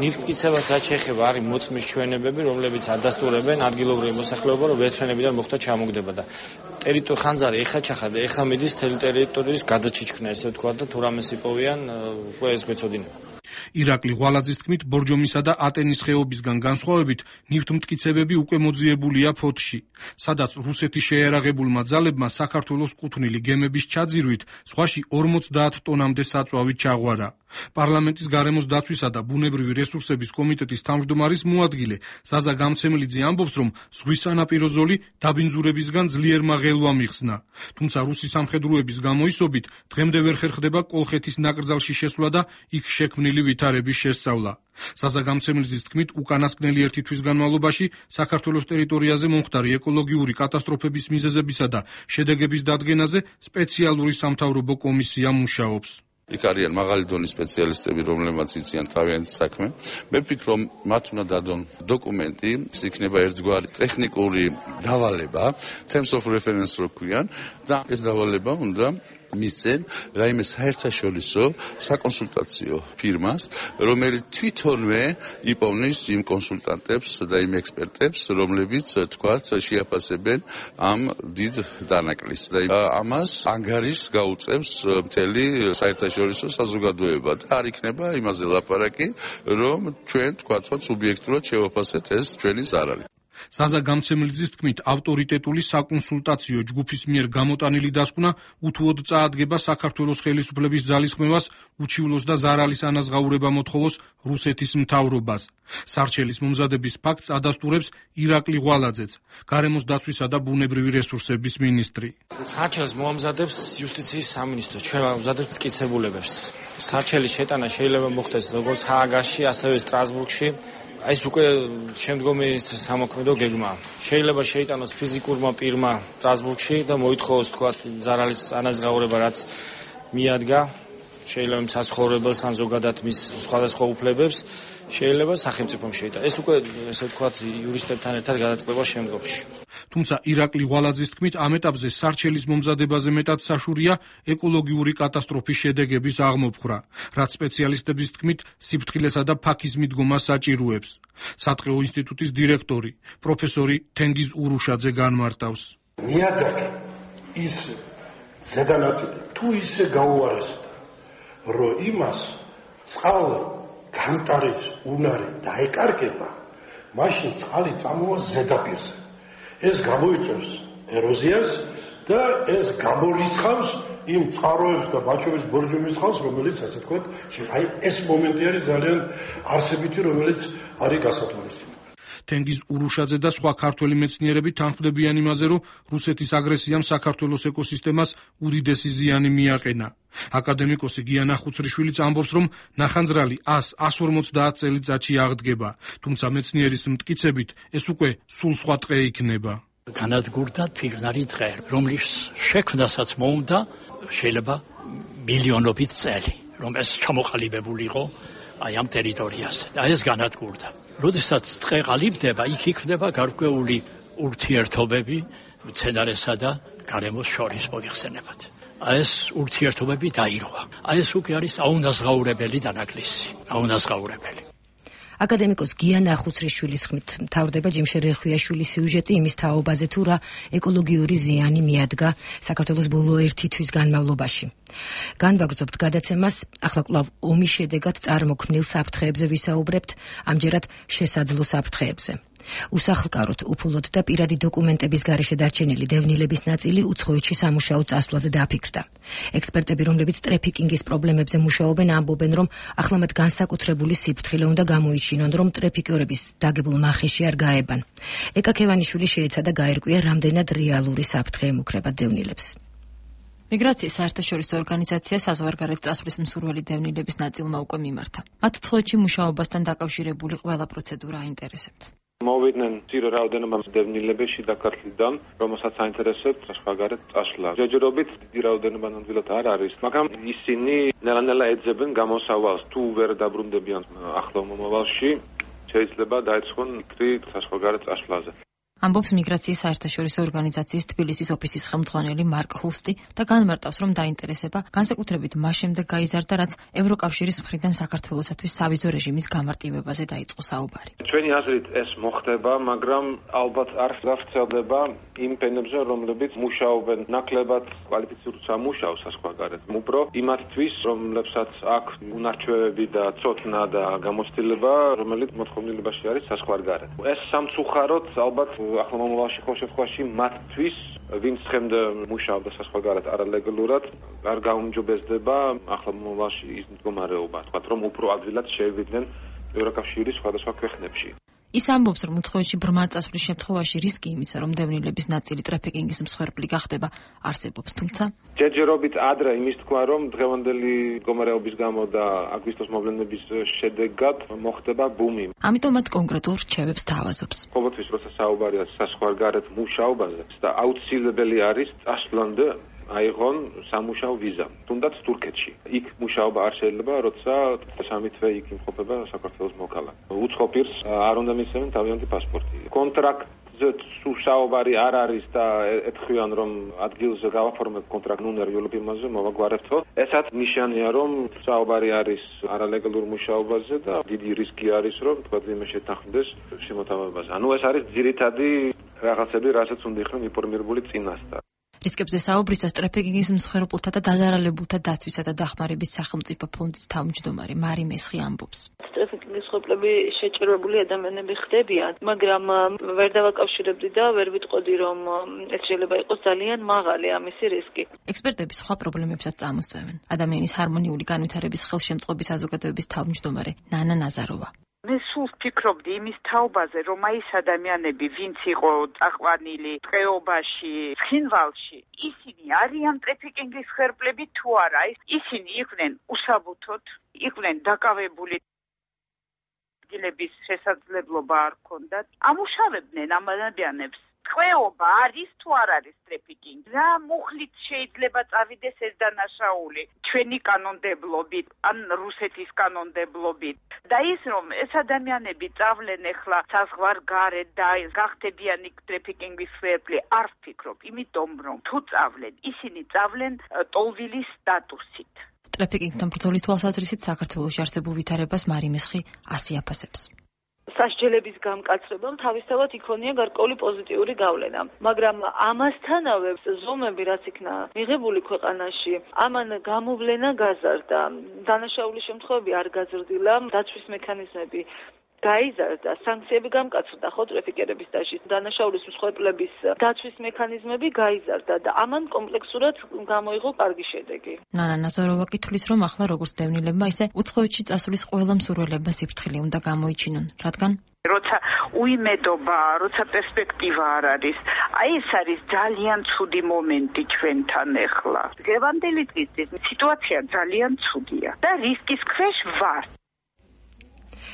ნიფტკიცებას რაც შეეხება, არის მოწმის ჩვენებები, რომლებიც ადასტურებენ ადგილობრივ მოსახლეობა, რომ ვერტმფრენებიდან მოხდა ჩამოგდება და ტერიტორია ხანძარი ეხა ჩახადა, ეხა მიდის თელი ტერიტორიის გადაჩიჩქნა, ესე ვთქვა და თუ რამეს იპოვიან, უკვე ეს გვეცოდინება. ირაკლი ღვალაძის თქმით, ბორჯომისა და ატენის ხეობისგან განსხვავებით, ნივთმტკიცებები უკვე მოძიებულია ფოთში, სადაც რუსეთის შეიარაღებულმა ძალებმა საქართველოს კუთვნილი გემების ჩაძირვით ზღვაში ორმოცდაათ ტონამდე საწვავი ჩაღვარა. პარლამენტის გარემოს დაცვისა და ბუნებრივი რესურსების კომიტეტის თავმჯდომარის მოადგილე ზაზა გამცემლიძე ამბობს, რომ ზღვის სანაპირო ზოლი დაბინძურებისგან ძლიერმა ღელვამ იხსნა. თუმცა რუსი სამხედროების გამოისობით დღემდე ვერ ხერხდება კოლხეთის ნაკრძალში შესვლა და იქ შექმნილი ვითარების შესწავლა. ზაზა გამცემლიძის თქმით, უკანასკნელი ერთი თვის განმავლობაში საქართველოს ტერიტორიაზე მომხდარი ეკოლოგიური კატასტროფების მიზეზებისა და შედეგების დადგენაზე სპეციალური სამთავრობო კომისია მუშაობს. იქ არიან მაღალი დონის სპეციალისტები, რომლებმაც იციან თავიანთი საქმე. მე ვფიქრობ, რომ მათ უნდა დადონ დოკუმენტი, ის იქნება ერთგვარი ტექნიკური დავალება, terms of reference რო ქვიან, და ეს დავალება უნდა მისცენ რაიმე საერთაშორისო საკონსულტაციო ფირმას, რომელიც თვითონვე იპოვნის იმ კონსულტანტებს და იმ ექსპერტებს, რომლებიც თქვათ შეაფასებენ ამ დიდ დანაკლისს. და ამას ანგარიშს გაუწევს მთელი საერთაშორისო საზოგადოება და არ იქნება იმაზე ლაპარაკი, რომ ჩვენ თქვათ სუბიექტურად შევაფასეთ ეს ჩვენი ზარალი. ზაზა გამცემლიძის თქმით, ავტორიტეტული საკონსულტაციო ჯგუფის მიერ გამოტანილი დასკვნა უთუოდ წაადგება საქართველოს ხელისუფლების ძალისხმევას, უჩივლოს და ზარალის ანაზღაურება მოთხოვოს რუსეთის მთავრობას. სარჩელის მომზადების ფაქტს ადასტურებს ირაკლი ღვალაძეც, გარემოს დაცვისა და ბუნებრივი რესურსების მინისტრი. სარჩელს მოამზადებს იუსტიციის სამინისტრო, ჩვენ ვამზადებთ მტკიცებულებებს. სარჩელის შეტანა შეიძლება მოხდეს როგორც ჰააგაში, ასევე სტრასბურგში. ეს უკვე შემდგომი სამოქმედო გეგმაა. შეიძლება შეიტანოს ფიზიკურმა პირმა სტრასბურგში და მოითხოვოს თქვა ზარალის ანაზღაურება, რაც მიადგა შეიძლება საცხოვრებელს ან ზოგადად მის სხვადასხვა უფლებებს, შეიძლება სახელმწიფომ შეიტანოს. ეს უკვე ესე ვთქვათ იურისტებთან ერთად გადაწყდება შემდგომში. თუმცა ირაკლი ღვალაძის თქმით, ამ ეტაპზე სარჩელის მომზადებაზე მეტად საშურია ეკოლოგიური კატასტროფის შედეგების აღმოფხვრა, რაც სპეციალისტების თქმით სიფრთხილესა და ფაქის მიდგომა საჭიროებს. სატყეო ინსტიტუტის დირექტორი, პროფესორი თენგიზ ურუშაძე განმარტავს. ნიადაგი ის ზედანაწილი თუ ისე გაუარესდა, რომ იმას წყალ განტარიც უნარი დაეკარგება, მაშინ წყალი წამოვა ზედაპირზე. ეს გამოიწვევს ეროზიას და ეს გამორიცხავს იმ წყაროებს და ბაჩოვის ბორჯომის ხალხს, რომელიც ასე თქვა, აი ეს მომენტი არის ძალიან არსებითი, რომელიც არის გასათვალისწინებელი. თენგიზ ურუშაძე და სხვა ქართველი მეცნიერები თანხმდებიან იმაზე, რომ რუსეთის აგრესიამ საქართველოს ეკოსისტემას უდიდესი ზიანი მიაყენა. აკადემიკოსი გიანა ხუცრიშვილიც ამბობს, რომ ნახანძრალი ას ორმოცდაათ წელიწადში აღდგება, თუმცა მეცნიერის მტკიცებით ეს უკვე სულ სხვა ტყე იქნება. განადგურდა ფიგნარი ტყე, რომლის შექმნასაც მოუნდა შეიძლება მილიონობით წელი, რომ ეს ჩამოყალიბებული იყო აი ამ ტერიტორიაზე და ეს განადგურდა. როდესაც ტყე ყალიბდება, იქ იქნება გარკვეული ურთიერთობები მცენარესა და გარემოს შორის მოიხსენებათ. აი ეს ურთიერთობები დაირღვა. აი ეს უკვე არის აუნაზღაურებელი დანაკლისი, აუნაზღაურებელი. აკადემიკოს გიანა ხუცრიშვილის ხმით მთავრდება ჯიმშე რეხვიაშვილის სიუჟეტი იმის თაობაზე, თუ რა ეკოლოგიური ზიანი მიადგა საქართველოს ბოლო ერთი თვის განმავლობაში. განვაგრძობთ გადაცემას, ახლა კვლავ ომის შედეგად წარმოქმნილ საფრთხეებზე ვისაუბრებთ, ამჯერად შესაძლო საფრთხეებზე. უსახლკაროდ, უფულოდ და პირადი დოკუმენტების გარეშე დარჩენილი დევნილების ნაწილი უცხოეთში სამუშაო წასვლაზე დააფიქრდა. ექსპერტები, რომლებიც ტრეფიკინგის პრობლემებზე მუშაობენ, ამბობენ, რომ ახლა მათ განსაკუთრებული სიფრთხილე უნდა გამოიჩინონ, რომ ტრეფიკიორების დაგებულ მახეში არ გაებან. ეკა ქევანიშვილი შეეცადა გაერკვია, რამდენად რეალური საფრთხე ემუქრება დევნილებს. მიგრაციის საერთაშორისო ორგანიზაცია საზღვარგარეთ წასვლის მსურველი დევნილების ნაწილმა უკვე მიმართა. მათ უცხოეთში მუშაობასთან დაკავშირებული ყველა პროცედურა აინტერესებთ. მოვიდნენ ძირო რაოდენობა დევნილები შიდა ქართლიდან, რომელსაც აინტერესებთ საზღვარგარეთ წასვლა. ჯერჯერობით დიდი რაოდენობა ნამდვილად არ არის, მაგრამ ისინი ნელა-ნელა ეძებენ გამოსავალს. თუ ვერ დაბრუნდებიან ახლო მომავალში, შეიძლება დაეცხონ იქრი საზღვარგარეთ წასვლაზე. ამბობს მიგრაციის საერთაშორისო ორგანიზაციის თბილისის ოფისის ხელმძღვანელი მარკ ჰულსტი და განმარტავს, რომ დაინტერესება განსაკუთრებით მას შემდეგ გაიზარდა, რაც ევროკავშირის მხრიდან საქართველოსათვის სავიზო რეჟიმის გამარტივებაზე დაიწყო საუბარი. ჩვენი აზრით ეს მოხდება, მაგრამ ალბათ არ გაგრძელდება იმ ფენებზე, რომლებიც მუშაობენ ნაკლებად კვალიფიცირებულ სამუშაოს საზღვარგარეთ. უფრო იმათთვის, რომლებსაც აქვს უნარჩვევები და ცოდნა და გამოცდილება, რომელიც მოთხოვნილებაში არის საზღვარგარეთ. ეს სამწუხაროდ ალბათ ახლა მომავალში ყოველ შემთხვევაში მათთვის, ვინც ხემდე მუშაობდა საზღვარგარეთ არალეგალურად, არ გაუმჯობესდება ახლა მომავალში ის მდგომარეობა, თქვათ, რომ უფრო ადვილად შევიდნენ ევროკავშირის სხვადასხვა ქვეყნებში. ის ამბობს, რომ უცხოეთში ბრმა წასვლის შემთხვევაში რისკი იმისა, რომ დევნილების ნაწილი ტრაფიკინგის მსხვერპლი გახდება, არსებობს, თუმცა ჯერჯერობით ადრე იმის თქვა, რომ დღევანდელი მდგომარეობის გამო და აგვისტოს მოვლენების შედეგად მოხდება ბუმი. ამიტომ მათ კონკრეტულ რჩევებს თავაზობს. ყოველთვის როცა საუბარია საზღვარგარეთ მუშაობაზე და აუცილებელი არის წასვლამდე აიღონ სამუშაო ვიზა, თუნდაც თურქეთში. იქ მუშაობა არ შეიძლება, როცა სამი თვე იქ იმყოფება საქართველოს მოქალაქე. უცხო პირს არ უნდა მისცემენ თავიანთი პასპორტი. კონტრაქტზე საუბარი არ არის და ეთქვიან, რომ ადგილზე გავაფორმებ კონტრაქტ ნუ ნერვიულობ იმაზე, მოვაგვარებთო. ესაც ნიშანია, რომ საუბარი არის არალეგალურ მუშაობაზე და დიდი რისკი არის, რომ თქვა იმე შეთანხმდეს შემოთავაზებაზე. ანუ ეს არის ძირითადი რაღაცები, რასაც უნდა იყვნენ ინფორმირებული წინასწარ. რისკებზე საუბრისას ტრაფიკინგის მსხვერპლთა და დაზარალებულთა დაცვისა და დახმარების სახელმწიფო ფონდის თავმჯდომარე მარი მესხი ამბობს. ტრაფიკინგის მსხვერპლები შეჭრებული ადამიანები ხდებიან, მაგრამ ვერ დავაკავშირებდი და ვერ ვიტყოდი, რომ ეს შეიძლება იყოს ძალიან მაღალი ამისი რისკი. ექსპერტები სხვა პრობლემებსაც წამოსწევენ. ადამიანის ჰარმონიული განვითარების ხელშემწყობის საზოგადოების თავმჯდომარე ნანა ნაზაროვა. მე სულ ვფიქრობდი იმის თაობაზე, რომ აი ეს ადამიანები, ვინც იყო წაყვანილი ტყეობაში, ცხინვალში, ისინი არიან ტრაფიკინგის ხერხლები თუ არა? ისინი იყვნენ უსაბუთოდ, იყვნენ დაკავებული, ადგილების შესაძლებლობა არ ჰქონდათ, ამუშავებდნენ ამ ადამიანებს. ტყვეობა არის თუ არ არის ტრაფიკინგი? რა მუხლით შეიძლება წავიდეს ეს დანაშაული ჩვენი კანონმდებლობით ან რუსეთის კანონმდებლობით? და ის რომ ეს ადამიანები წავლენ ახლა საზღვარგარეთ და გახდებიან იქ ტრაფიკინგის ხერხლი, არ ვფიქრობ, იმიტომ რომ თუ წავლენ, ისინი წავლენ ტოლვილის სტატუსით. ტრაფიკინგთან ბრძოლის თვალსაზრისით საქართველოში არსებულ ვითარებას მარი მესხი ასი აფასებს. სასჯელების გამკაცრებამ თავისთავად იქონია გარკვეული პოზიტიური გავლენა, მაგრამ ამასთანავე ზომები რაც იქნა მიღებული ქვეყანაში, ამან გამოვლენა გაზარდა. დანაშაულის შემთხვევები არ გაზრდილა, დაცვის მექანიზმები გაიზარდა, სანქციები გამკაცრდა ხო ტრაფიკერების დაშლის, დანაშაულის მსხვერპლების დაცვის მექანიზმები გაიზარდა და ამან კომპლექსურად გამოიღო კარგი შედეგი. ნანა ნაზაროვა კითხვის, რომ ახლა როგორც დევნილებმა, ისე უცხოეთში წასვლის ყველა მსურველებმა სიფრთხილე უნდა გამოიჩინონ, რადგან როცა უიმედობა, როცა პერსპექტივა არ არის, აი ეს არის ძალიან ცუდი მომენტი ჩვენთან ახლა. დღევანდელი დღის სიტუაცია ძალიან ცუდია და რისკის ქვეშ ვარ.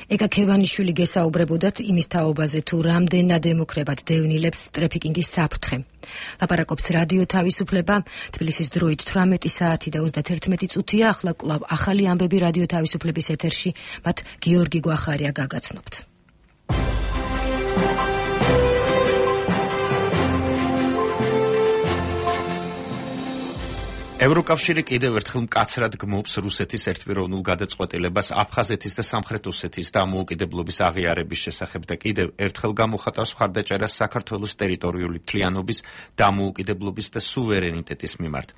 ეკა ქევანიშვილი გესაუბრებოდათ იმის თაობაზე, თუ რამდენად ემუქრებათ დევნილებს ტრაფიკინგის საფრთხე. ლაპარაკობს რადიო თავისუფლება, თბილისის დროით თვრამეტი საათი და ოცდაერთმეტი წუთია, ახლა კვლავ ახალი ამბები რადიო თავისუფლების ეთერში, მათ გიორგი გვახარია გაგაცნობთ. ევროკავშირი კიდევ ერთხელ მკაცრად გმობს რუსეთის ერთპიროვნულ გადაწყვეტილებას აფხაზეთის და სამხრეთ ოსეთის დამოუკიდებლობის აღიარების შესახებ და კიდევ ერთხელ გამოხატავს მხარდაჭერას საქართველოს ტერიტორიული მთლიანობის, დამოუკიდებლობის და სუვერენიტეტის მიმართ.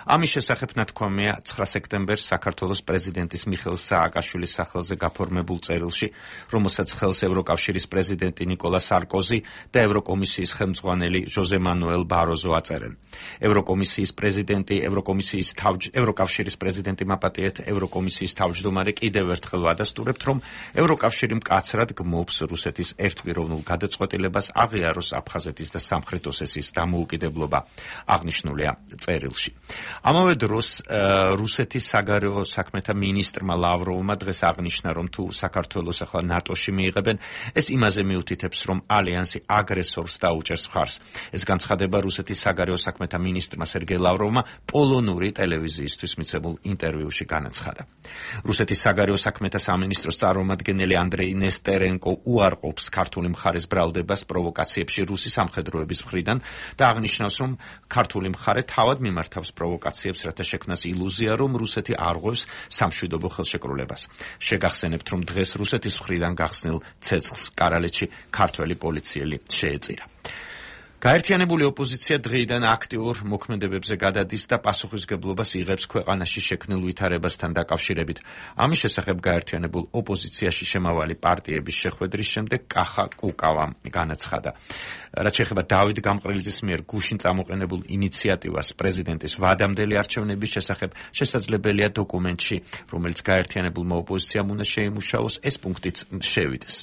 ამის შესახებ ნათქვამია ცხრა სექტემბერს საქართველოს პრეზიდენტის მიხეილ სააკაშვილის სახელზე გაფორმებულ წერილში, რომელსაც ხელს ევროკავშირის პრეზიდენტი ნიკოლა სარკოზი და ევროკომისიის ხელმძღვანელი ჟოზე მანუელ ბაროზო აწერენ. ევროკომისიის პრეზიდენტი ევროკომისიის თავ ევროკავშირის პრეზიდენტი მაპატიეთ ევროკომისიის თავმჯდომარე კიდევ ერთხელ ვადასტურებთ, რომ ევროკავშირი მკაცრად გმობს რუსეთის ერთპიროვნულ გადაწყვეტილებას აღიაროს აფხაზეთის და სამხრეთ ოსეთის დამოუკიდებლობა, აღნიშნულია წერილში. ამავე დროს რუსეთის საგარეო საქმეთა მინისტრმა ლავროვმა დღეს აღნიშნა, რომ თუ საქართველოს ახლა ნატოში მიიღებენ, ეს იმაზე მიუთითებს, რომ ალიანსი აგრესორს დაუჭერს მხარს. ეს განცხადება რუსეთის საგარეო საქმეთა მინისტრმა სერგეი ლავროვმა პოლონეთის პოლონური ტელევიზიისთვის მიცემულ ინტერვიუში განაცხადა. რუსეთის საგარეო საქმეთა სამინისტროს წარმომადგენელი ანდრეი ნესტერენკო უარყოფს ქართული მხარის ბრალდებას პროვოკაციებში რუსი სამხედროების მხრიდან და აღნიშნავს, რომ ქართული მხარე თავად მიმართავს პროვოკაციებს, რათა შექმნას ილუზია, რომ რუსეთი არღვევს სამშვიდობო ხელშეკრულებას. შეგახსენებთ, რომ დღეს რუსეთის მხრიდან გახსნილ ცეცხლს კარალეთში ქართველი პოლიციელი შეეწირა. გაერთიანებული ოპოზიცია დღეიდან აქტიურ მოქმედებებზე გადადის და პასუხისმგებლობას იღებს ქვეყანაში შექმნილ ვითარებასთან დაკავშირებით. ამის შესახებ გაერთიანებულ ოპოზიციაში შემავალი პარტიების შეხვედრის შემდეგ კახა კუკავამ განაცხადა. რაც შეეხება დავით გამყრელიძის მიერ გუშინ წამოყენებულ ინიციატივას პრეზიდენტის ვადამდელი არჩევნების შესახებ, შესაძლებელია დოკუმენტში, რომელიც გაერთიანებულმა ოპოზიციამ უნდა შეიმუშაოს, ეს პუნქტიც შევიდეს.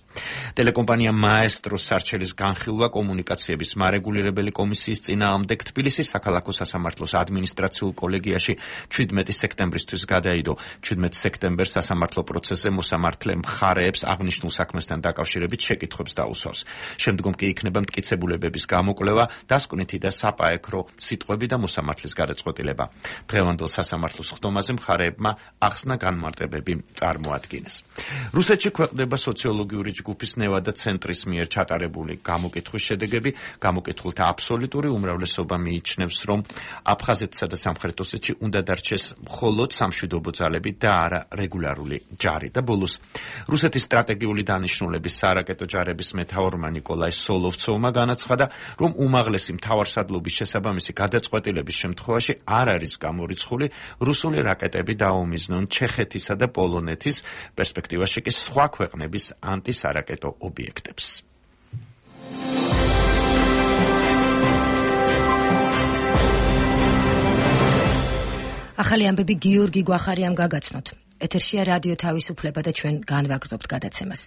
ტელეკომპანია მაესტროს სარჩელის განხილვა კომუნიკაციების მარეგულირებელი კომისიის წინააღმდეგ თბილისის საქალაქო სასამართლოს ადმინისტრაციულ კოლეგიაში ჩვიდმეტი სექტემბრისთვის გადაიდო. ჩვიდმეტ სექტემბერს სასამართლო პროცესზე მოსამართლე მხარეებს აღნიშნულ საქმესთან დაკავშირებით შეკითხვებს დაუსვავს. შემდგომ კი იქნება მტკიცებულებების გამოკვლევა, დასკვნითი და საპაექრო სიტყვები და მოსამართლის გადაწყვეტილება. დღევანდელ სასამართლოს ხდომაზე მხარეებმა ახსნა განმარტებები წარმოადგინეს. რუსეთში ქვეყნდება სოციოლოგიური ჯგუფის ნევადა ცენტრის მიერ ჩატარებული გამოკითხვის შედეგები. გამოკითხულთა აბსოლუტური უმრავლესობა მიიჩნევს, რომ აფხაზეთსა და სამხრეთ ოსეთში უნდა დარჩეს მხოლოდ სამშვიდობო ძალები და არა რეგულარული ჯარი. და ბოლოს რუსეთის სტრატეგიული დანიშნულების სარაკეტო ჯარების მეთაურმა ნიკოლაი სოლოვცოვმა განაცხადა, რომ უმაღლესი მთავარსარდლობის შესაბამისი გადაწყვეტილების შემთხვევაში არ არის გამორიცხული რუსული რაკეტები დაუმიზნონ ჩეხეთისა და პოლონეთის, პერსპექტივაში კი სხვა ქვეყნების ანტისარაკეტო ობიექტებს. ახალი ამბები გიორგი გვახარიამ გაგაცნოთ. ეთერშია რადიო თავისუფლება და ჩვენ განვაგრძობთ გადაცემას.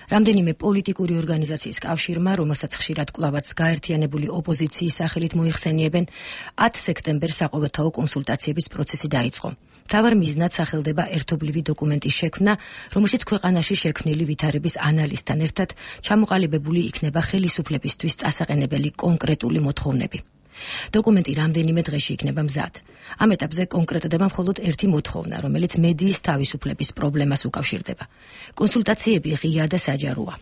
რამდენიმე პოლიტიკური ორგანიზაციის კავშირმა, რომელსაც ხშირად კვლავაც გაერთიანებული ოპოზიციის სახელით მოიხსენიებენ, ათი სექტემბერს საყოველთაო კონსულტაციების პროცესი დაიწყო. მთავარ მიზნად სახელდება ერთობლივი დოკუმენტის შექმნა, რომელშიც ქვეყანაში შექმნილი ვითარების ანალიზთან ერთად ჩამოყალიბებული იქნება ხელისუფლებისთვის წასაყენებელი კონკრეტული მოთხოვნები. დოკუმენტი რამდენიმე დღეში იქნება მზად. ამ ეტაპზე კონკრეტდება მხოლოდ ერთი მოთხოვნა, რომელიც მედიის თავისუფლების პრობლემას უკავშირდება. კონსულტაციები ღია და საჯაროა.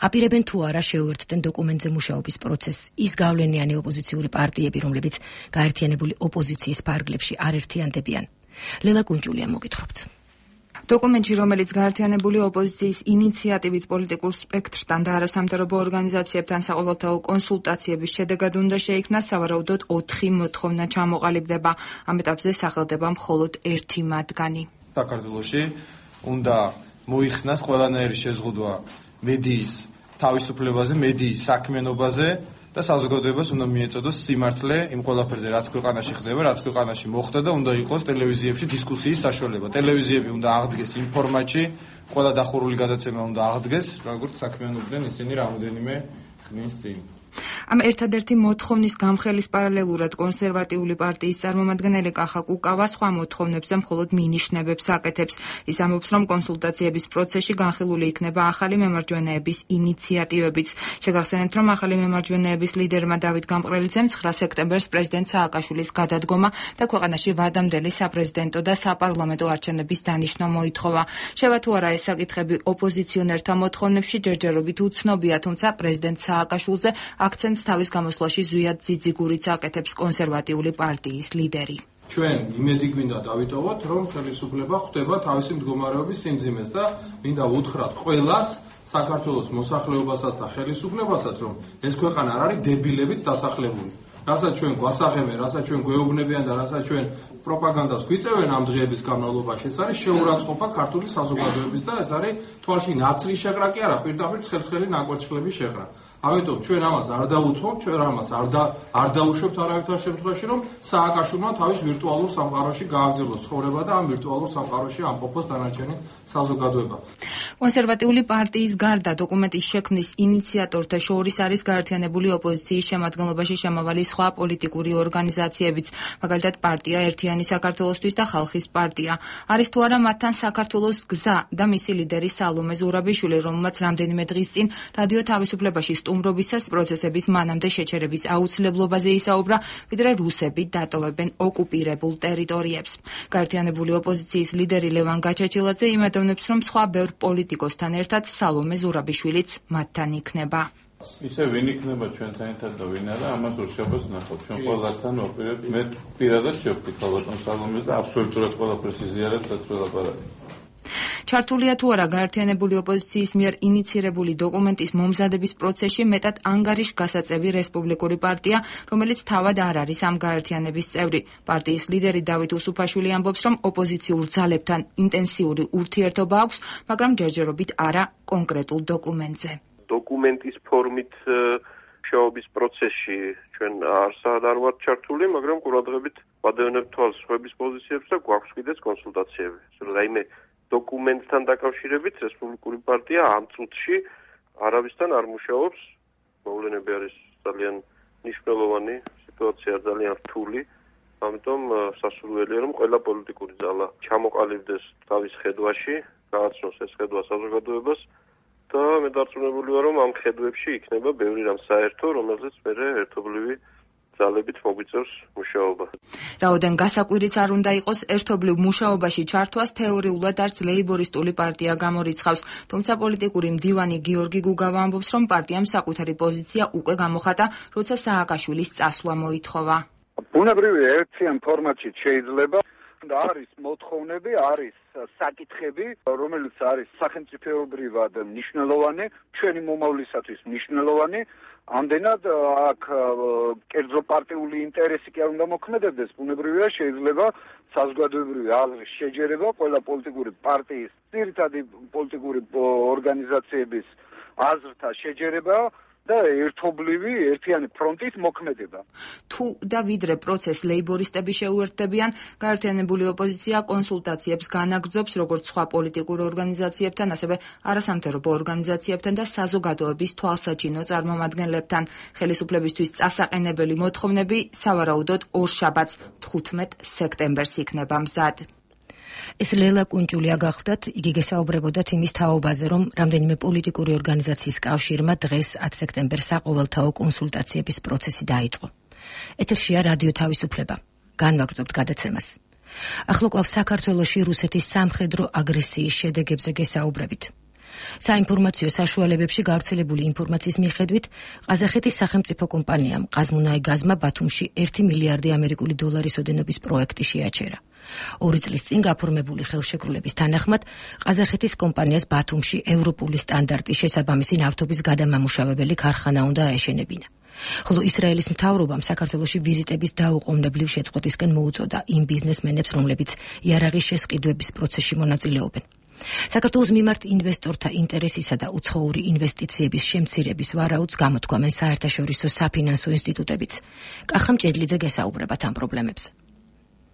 აპირებენ თუ არა შეუერთდნენ დოკუმენტზე მუშაობის პროცესს ის გავლენიანი ოპოზიციური პარტიები, რომლებიც გაერთიანებული ოპოზიციის ფარგლებში არ ერთიანდებიან. ლელა კუნჭულია მოგითხრობთ. დოკუმენტში, რომელიც გაერთიანებული ოპოზიციის ინიციატივით პოლიტიკურ სპექტრთან და არასამთავრობო ორგანიზაციებთან საყოველთაო კონსულტაციების შედეგად უნდა შეიქმნას, სავარაუდოდ ოთხი მოთხოვნა ჩამოყალიბდება. ამ ეტაპზე სახელდება მხოლოდ ერთი მათგანი. საქართველოში უნდა მოიხსნას ყველანაირი შეზღუდვა მედიის თავისუფლებაზე, მედიის საქმიანობაზე და საზოგადოებას უნდა მიეწოდოს სიმართლე იმ ყველაფერზე, რაც ქვეყანაში ხდება, რაც ქვეყანაში მოხდა და უნდა იყოს ტელევიზიებში დისკუსიის საშუალება. ტელევიზიები უნდა აღდგეს იმ ფორმატში, ყველა დახურული გადაცემა უნდა აღდგეს, როგორც საქმიანობდნენ ისინი რამოდენიმე ხნის წინ. ამ ერთადერთი მოთხოვნის გამხელის პარალელურად კონსერვატიული პარტიის წარმომადგენელი კახა კუკავა სხვა მოთხოვნებზე მხოლოდ მინიშნებებს აკეთებს. ის ამბობს, რომ კონსულტაციების პროცესში განხილული იქნება ახალი მემარჯვენეების ინიციატივებიც. შეგახსენებთ, რომ ახალი მემარჯვენეების ლიდერმა დავით გამყრელიძემ ცხრა სექტემბერს პრეზიდენტ სააკაშვილის გადადგომა და ქვეყანაში ვადამდელი საპრეზიდენტო და საპარლამენტო არჩევნების დანიშნა მოითხოვა. შევა თუ არა ეს საკითხები ოპოზიციონერთა მოთხოვნებში ჯერჯერობით უცნობია, თუმცა პრეზიდენტ სააკაშვილზე აქცენტს თავის გამოსვლაში ზვიად ძიძიგურიც აკეთებს კონსერვატიული პარტიის ლიდერი. ჩვენ იმედი გვინდა დავიტოვოთ, რომ ხელისუფლება ხვდება თავისი მდგომარეობის სიმძიმეს და მინდა უთხრათ ყველას, საქართველოს მოსახლეობასაც და ხელისუფლებასაც, რომ ეს ქვეყანა არ არის დებილებით დასახლებული. რასაც ჩვენ გვასაღებენ, რასაც ჩვენ გვეუბნებიან და რასაც ჩვენ პროპაგანდას გვიწევენ ამ დღეების განმავლობაში, ეს არის შეურაცხყოფა ქართული საზოგადოების და ეს არის თვალში ნაცრის შეღრა კი არა, პირდაპირ ცხელ-ცხელი ნაკვეთშლების შეღრა. ამიტომ ჩვენ ამას არ დაუთმობთ, ჩვენ ამას არ და არ დაუშვებთ არავითარ შემთხვევაში, რომ სააკაშვილმა თავის ვირტუალურ სამყაროში გააგრძელოს ცხოვრება და ამ ვირტუალურ სამყაროში ამყოფოს დანარჩენი საზოგადოება. კონსერვატიული პარტიის გარდა დოკუმენტის შექმნის ინიციატორთა შორის არის გაერთიანებული ოპოზიციის შემადგენლობაში შემავალი სხვა პოლიტიკური ორგანიზაციებიც, მაგალითად პარტია ერთიანი მშვიდიანი საქართველოსთვის და ხალხის პარტია. არის თუ არა მათთან საქართველოს გზა და მისი ლიდერი სალომე ზურაბიშვილი, რომელმაც რამდენიმე დღის წინ რადიო თავისუფლებაში სტუმრობისას პროცესების მანამდე შეჩერების აუცილებლობაზე ისაუბრა, ვიდრე რუსები დატოვებენ ოკუპირებულ ტერიტორიებს. გაერთიანებული ოპოზიციის ლიდერი ლევან გაჩაჩილაძე იმედოვნებს, რომ სხვა ბევრ პოლიტიკოსთან ერთად სალომე ზურაბიშვილიც მათთან იქნება. ისე ვინ იქნება ჩვენთან ერთად და ვინ არა, ამას უშუალოდ ნახავთ. ჩვენ ყველასთან ვაპირებთ. მე პირადად შევხვდით ბატონ სალომეს და აბსოლუტურად ყველაფერს იზიარებთ, რაც ველაპარაკეთ. ჩართულია თუ არა გაერთიანებული ოპოზიციის მიერ ინიცირებული დოკუმენტის მომზადების პროცესში მეტად ანგარიშგასაწევი რესპუბლიკური პარტია, რომელიც თავად არ არის ამ გაერთიანების წევრი. პარტიის ლიდერი დავით უსუფაშვილი ამბობს, რომ ოპოზიციურ ძალებთან ინტენსიური ურთიერთობა აქვს, მაგრამ ჯერჯერობით არა კონკრეტულ დოკუმენტზე. დოკუმენტის ფორმით მუშაობის პროცესში ჩვენ არსად არ ვართ ჩართული, მაგრამ ყურადღებით ვადევნებთ თვალს სხვების პოზიციებს და გვაქვს კიდეც კონსულტაციები. რაიმე დოკუმენტთან დაკავშირებით რესპუბლიკური პარტია ამ წუთში არავისთან არ მუშაობს. მოვლენები არის ძალიან მნიშვნელოვანი, სიტუაცია ძალიან რთული, ამიტომ სასურველია, რომ ყველა პოლიტიკური ძალა ჩამოყალიბდეს თავის ხედვაში, გააცნოს ეს ხედვა საზოგადოებას და მე დარწმუნებული ვარ, რომ ამ ხედვებში იქნება ბევრი რამ საერთო, რომელზეც მერე ერთობლივი ძალებით მოგვიწევს მუშაობა. რაოდენ გასაკვირიც არ უნდა იყოს, ერთობლივ მუშაობაში ჩართვას თეორიულად არც ლეიბორისტული პარტია გამორიცხავს, თუმცა პოლიტიკური მდივანი გიორგი გუგავა ამბობს, რომ პარტიამ საკუთარი პოზიცია უკვე გამოხატა, როცა სააკაშვილის წასვლა მოითხოვა. ბუნებრივია ერთიან ფორმატში შეიძლება და არის მოთხოვნები, არის საკითხები, რომელიც არის სახელმწიფოებრივად მნიშვნელოვანი, ჩვენი მომავლისათვის მნიშვნელოვანი. ამდენად აქ კერძო პარტიული ინტერესი კი არ უნდა მოქმედებდეს, ბუნებრივია შეიძლება საზოგადოებრივი აზრის შეჯერება ყველა პოლიტიკური პარტიის, ძირითადი პოლიტიკური ორგანიზაციების აზრთა შეჯერება და ერთობლივი ერთიანი ფრონტის მოქმედება. თუ და ვიდრე პროცესს ლეიბორისტები შეუერთდებიან, გაერთიანებული ოპოზიცია კონსულტაციებს განაგრძობს როგორც სხვა პოლიტიკურ ორგანიზაციებთან, ასევე არასამთავრობო ორგანიზაციებთან და საზოგადოების თვალსაჩინო წარმომადგენლებთან. ხელისუფლებისთვის წასაყენებელი მოთხოვნები სავარაუდოდ ორშაბათს თხუთმეტ სექტემბერს იქნება მზად. ეს ლელა კუნჭულია გახდათ, იგი გესაუბრებოდათ იმის თაობაზე, რომ რამდენიმე პოლიტიკური ორგანიზაციის კავშირმა დღეს ათი სექტემბერს საყოველთაო კონსულტაციების პროცესი დაიწყო. ეთერშია რადიო თავისუფლება. განვაგრძობთ გადაცემას. ახლო კვლავ საქართველოში რუსეთის სამხედრო აგრესიის შედეგებზე გესაუბრებით. საინფორმაციო საშუალებებში გავრცელებული ინფორმაციის მიხედვით, ყაზახეთის სახელმწიფო კომპანიამ ყაზმუნაიგაზმა ბათუმში ერთი მილიარდი ამერიკული დოლარის ოდენობის პროექტი შეაჩერა. ორი წლის წინ გაფორმებული ხელშეკრულების თანახმად, ყაზახეთის კომპანიას ბათუმში ევროპული სტანდარტის შესაბამისი ნავთობის გადამამუშავებელი ქარხანა უნდა აეშენებინა. ხოლო ისრაელის მთავრობამ საქართველოში ვიზიტების დაუყოვნებლივ შეწყვეტისკენ მოუწოდა იმ ბიზნესმენებს, რომლებიც იარაღის შესყიდვების პროცესში მონაწილეობენ. საქართველოს მიმართ ინვესტორთა ინტერესისა და უცხოური ინვესტიციების შემცირების ვარაუდს გამოთქვამენ საერთაშორისო საფინანსო ინსტიტუტებიც. კახა მჭედლიძე გესაუბრებათ ამ პრობლემებზე.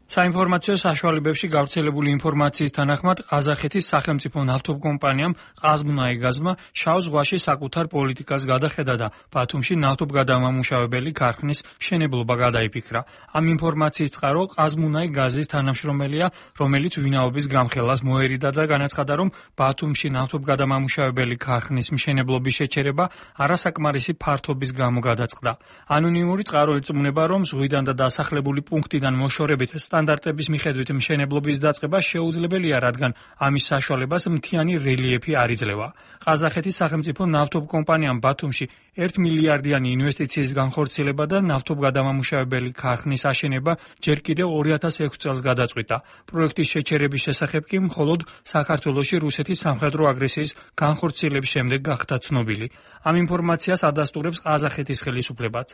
საინფორმაციო საშუალებებში გავრცელებული ინფორმაციის თანახმად, ყაზახეთის სახელმწიფო ნავთობკომპანიამ ყაზმუნაიგაზმა შავ ზღვაში საკუთარ პოლიტიკას გადახედა და ბათუმში ნავთობგადამამუშავებელი ქარხნის მშენებლობა გადაიფიქრა. ამ ინფორმაციის წყარო ყაზმუნაიგაზის თანამშრომელია, რომელიც ვინაობის გამხელას მოერიდა და განაცხადა, რომ ბათუმში ნავთობგადამამუშავებელი ქარხნის მშენებლობის შეჩერება არასაკმარისი ფართობის გამო გადაწყდა. ანონიმური წყარო ირწმუნება, რომ ზღვიდან და დასახლებული პუნქტიდან მოშორებით სტანდარტების მიხედვით მშენებლობის დაწყება შეუძლებელია, რადგან ამის საშუალებას მთიანი რელიეფი არ იძლევა. ყაზახეთის სახელმწიფო ნავთობკომპანიამ ბათუმში ერთი მილიარდიანი ინვესტიციის განხორციელება და ნავთობგადამამუშავებელი ქარხნის აშენება ჯერ კიდევ ორი ათას ექვსი წელს გადაწყვიტა. პროექტის შეჩერების შესახებ კი მხოლოდ საქართველოში რუსეთის სამხედრო აგრესიის განხორციელების შემდეგ გახდა ცნობილი. ამ ინფორმაციას ადასტურებს ყაზახეთის ხელისუფლებაც.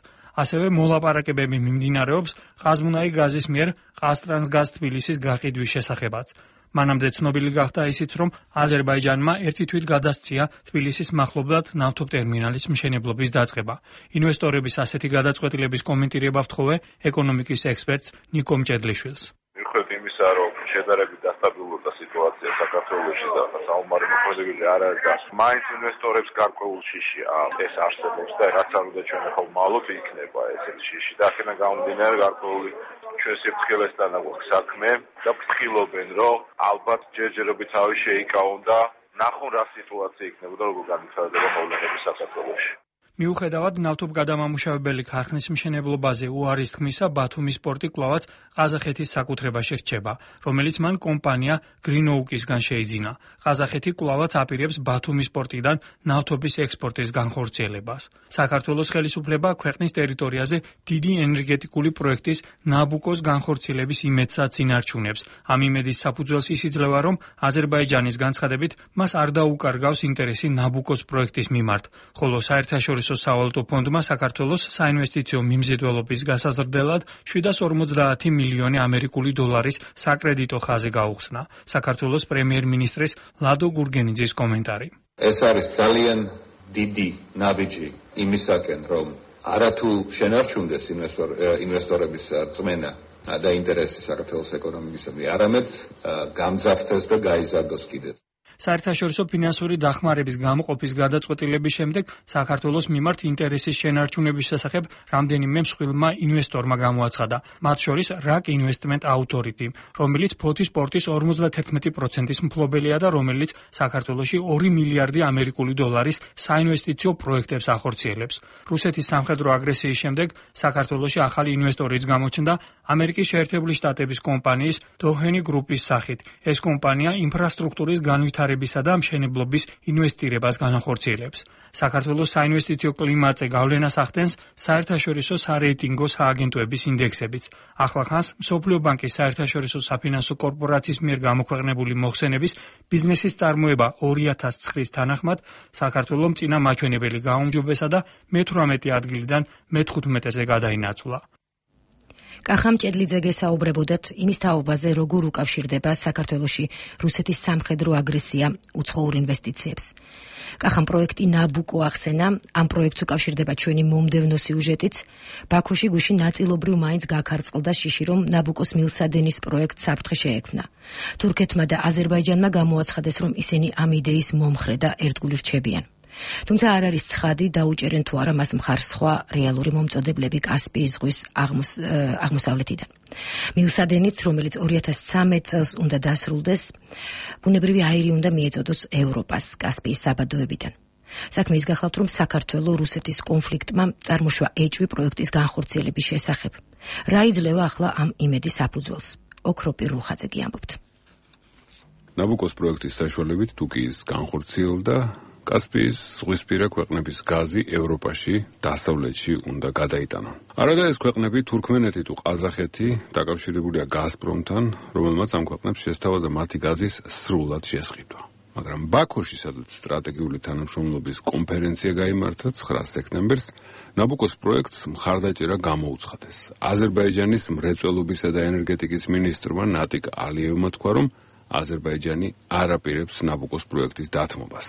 ასევე მოლაპარაკებები მიმდინარეობს ყაზმუნაიგაზის მიერ ყაზტრანსგაზ თბილისის გაყიდვის შესახებაც. მანამდე ცნობილი გახდა ისიც, რომ აზერბაიჯანმა ერთი თვით გადასცია თბილისის მახლობლად ნავთობტერმინალის მშენებლობის დაწყება. ინვესტორების ასეთი გადაწყვეტილების კომენტირება ვთხოვე ეკონომიკის ექსპერტს ნიკო მჭედლიშვილს. მიუხედავად იმისა, რომ შედარებით დასტაბილურდა სიტუაცია საქართველოში და საომარი მოქმედებები არ არის და მაინც ინვესტორებს გარკვეულ შიში ეს არსებობს და რაც არ უნდა ჩვენ ახლა მალოთ იქნება ესეთი შიში და აქედან გამომდინარე გარკვეული ჩვენ სიფრთხილესთან აქვს საქმე და ვფრთხილობენ, რომ ალბათ ჯერჯერობით თავი შეიკავონ და ნახონ რა სიტუაცია იქნებოდა, როგორ განვითარდება მოვლენები საქართველოში. მიუხედავად ნავთობგადამამუშავებელი ქარხნის მშენებლობაზე უარის თქმისა, ბათუმის პორტი კვლავაც ყაზახეთის საკუთრებაში რჩება, რომელიც მან კომპანია გრინოუკისგან შეიძინა. ყაზახეთი კვლავაც აპირებს ბათუმის პორტიდან ნავთობის ექსპორტის განხორციელებას. საქართველოს ხელისუფლება ქვეყნის ტერიტორიაზე დიდი ენერგეტიკული პროექტის ნაბუკოს განხორციელების იმედსაც ინარჩუნებს. ამ იმედის საფუძველს ის იძლევა, რომ აზერბაიჯანის განცხადებით მას არ დაუკარგავს ინტერესი ნაბუკოს პროექტის მიმართ, ხოლო საერთაშორისო სავალუტო ფონდმა საქართველოს საინვესტიციო მიმზიდველობის გასაზრდელად შვიდას ორმოცდაათი მილიონი ამერიკული დოლარის საკრედიტო ხაზი გაუხსნა. საქართველოს პრემიერ-მინისტრის ლადო გურგენიძის კომენტარი. ეს არის ძალიან დიდი ნაბიჯი იმისაკენ, რომ არათუ შენარჩუნდეს ინვესტორების წმენა და ინტერესი საქართველოს ეკონომიკისადმი, არამედ გამძაფრდეს და გაიზარდოს კიდეც. საერთაშორისო ფინანსური დახმარების გამოყოფის გადაწყვეტილების შემდეგ საქართველოს მიმართ ინტერესის შენარჩუნების შესახებ რამდენიმე მსხვილმა ინვესტორმა გამოაცხადა, მათ შორის რაკ ინვესტმენტ აუთორიტი, რომელიც ფოთის პორტის ორმოცდათერთმეტი პროცენტის მფლობელია და რომელიც საქართველოში ორი მილიარდი ამერიკული დოლარის საინვესტიციო პროექტებს ახორციელებს. რუსეთის სამხედრო აგრესიის შემდეგ საქართველოში ახალი ინვესტორიც გამოჩნდა ამერიკის შეერთებული შტატების კომპანიის დოჰენი გრუპის სახით. ეს კომპანია ინფრასტრუქტურის განვითარებას და მშენებლობის ინვესტირებას განახორციელებს. საქართველოს საინვესტიციო კლიმატზე გავლენას ახდენს საერთაშორისო სარეიტინგო სააგენტოების ინდექსებიც. ახლახანს მსოფლიო ბანკის საერთაშორისო საფინანსო კორპორაციის მიერ გამოქვეყნებული მოხსენების ბიზნესის წარმოება ორი ათას ცხრის თანახმად საქართველოს მწინა მაჩვენებელი გაუმჯობესა და მეთვრამეტე ადგილიდან მეთხუთმეტეზე გადაინაცვლა. კახამ ჭედლიძე გესაუბრებოდათ იმის თაობაზე, როგორ უკავშირდება საქართველოში რუსეთის სამხედრო აგრესია უცხოურ ინვესტიციებს. კახამ პროექტი ნაბუკო ახსენა, ამ პროექტს უკავშირდება ჩვენი მომდევნო სიუჟეტიც. ბაქოში გუშინ ნაწილობრივ მაინც გაქარწყლდა შიში, რომ ნაბუკოს მილსადენის პროექტს საფრთხე შეექმნა. თურქეთმა და აზერბაიჯანმა გამოაცხადეს, რომ ისინი ამ იდეის მომხრე და ერთგული რჩებიან. თუმცა არ არის ცხადი დაუჭერენ თუ არა მას მხარს სხვა რეალური მომწოდებლები კასპიის ზღვის აღმოსავლეთიდან. მილსადენით, რომელიც ორი ათას ცხრამეტ წელს უნდა დასრულდეს, ბუნებრივი აირი უნდა მიეწოდოს ევროპას კასპიის საბადოებიდან. საქმე ის გახლავთ, რომ საქართველოს რუსეთის კონფლიქტმა წარმოშვა ეჭვი პროექტის განხორციელების შესახებ. რა იძლევა ახლა ამ იმედის საფუძველს? ოქროპი რუხაძე კი ამბობთ. ნაბუკოს პროექტის საშუალებით თუკის განხორციელდა კასპიის ზღვისპირა ქვეყნების გაზი ევროპაში, დასავლეთში უნდა გადაიტანონ. არადა ეს ქვეყნები თურქმენეთი თუ ყაზახეთი დაკავშირებულია გაზპრომთან, რომელმაც ამ ქვეყნებს შესთავაზა მათი გაზის სრულად შესყიდვა. მაგრამ ბაქოში, სადაც სტრატეგიული თანამშრომლობის კონფერენცია გაიმართა ცხრა სექტემბერს, ნაბუკოს პროექტს მხარდაჭერა გამოუცხადეს. აზერბაიჯანის მრეწველობისა და ენერგეტიკის მინისტრმა ნატიკ ალიევმა თქვა, რომ აზერბაიჯანი არ აპირებს ნაბუკოს პროექტის დათმობას.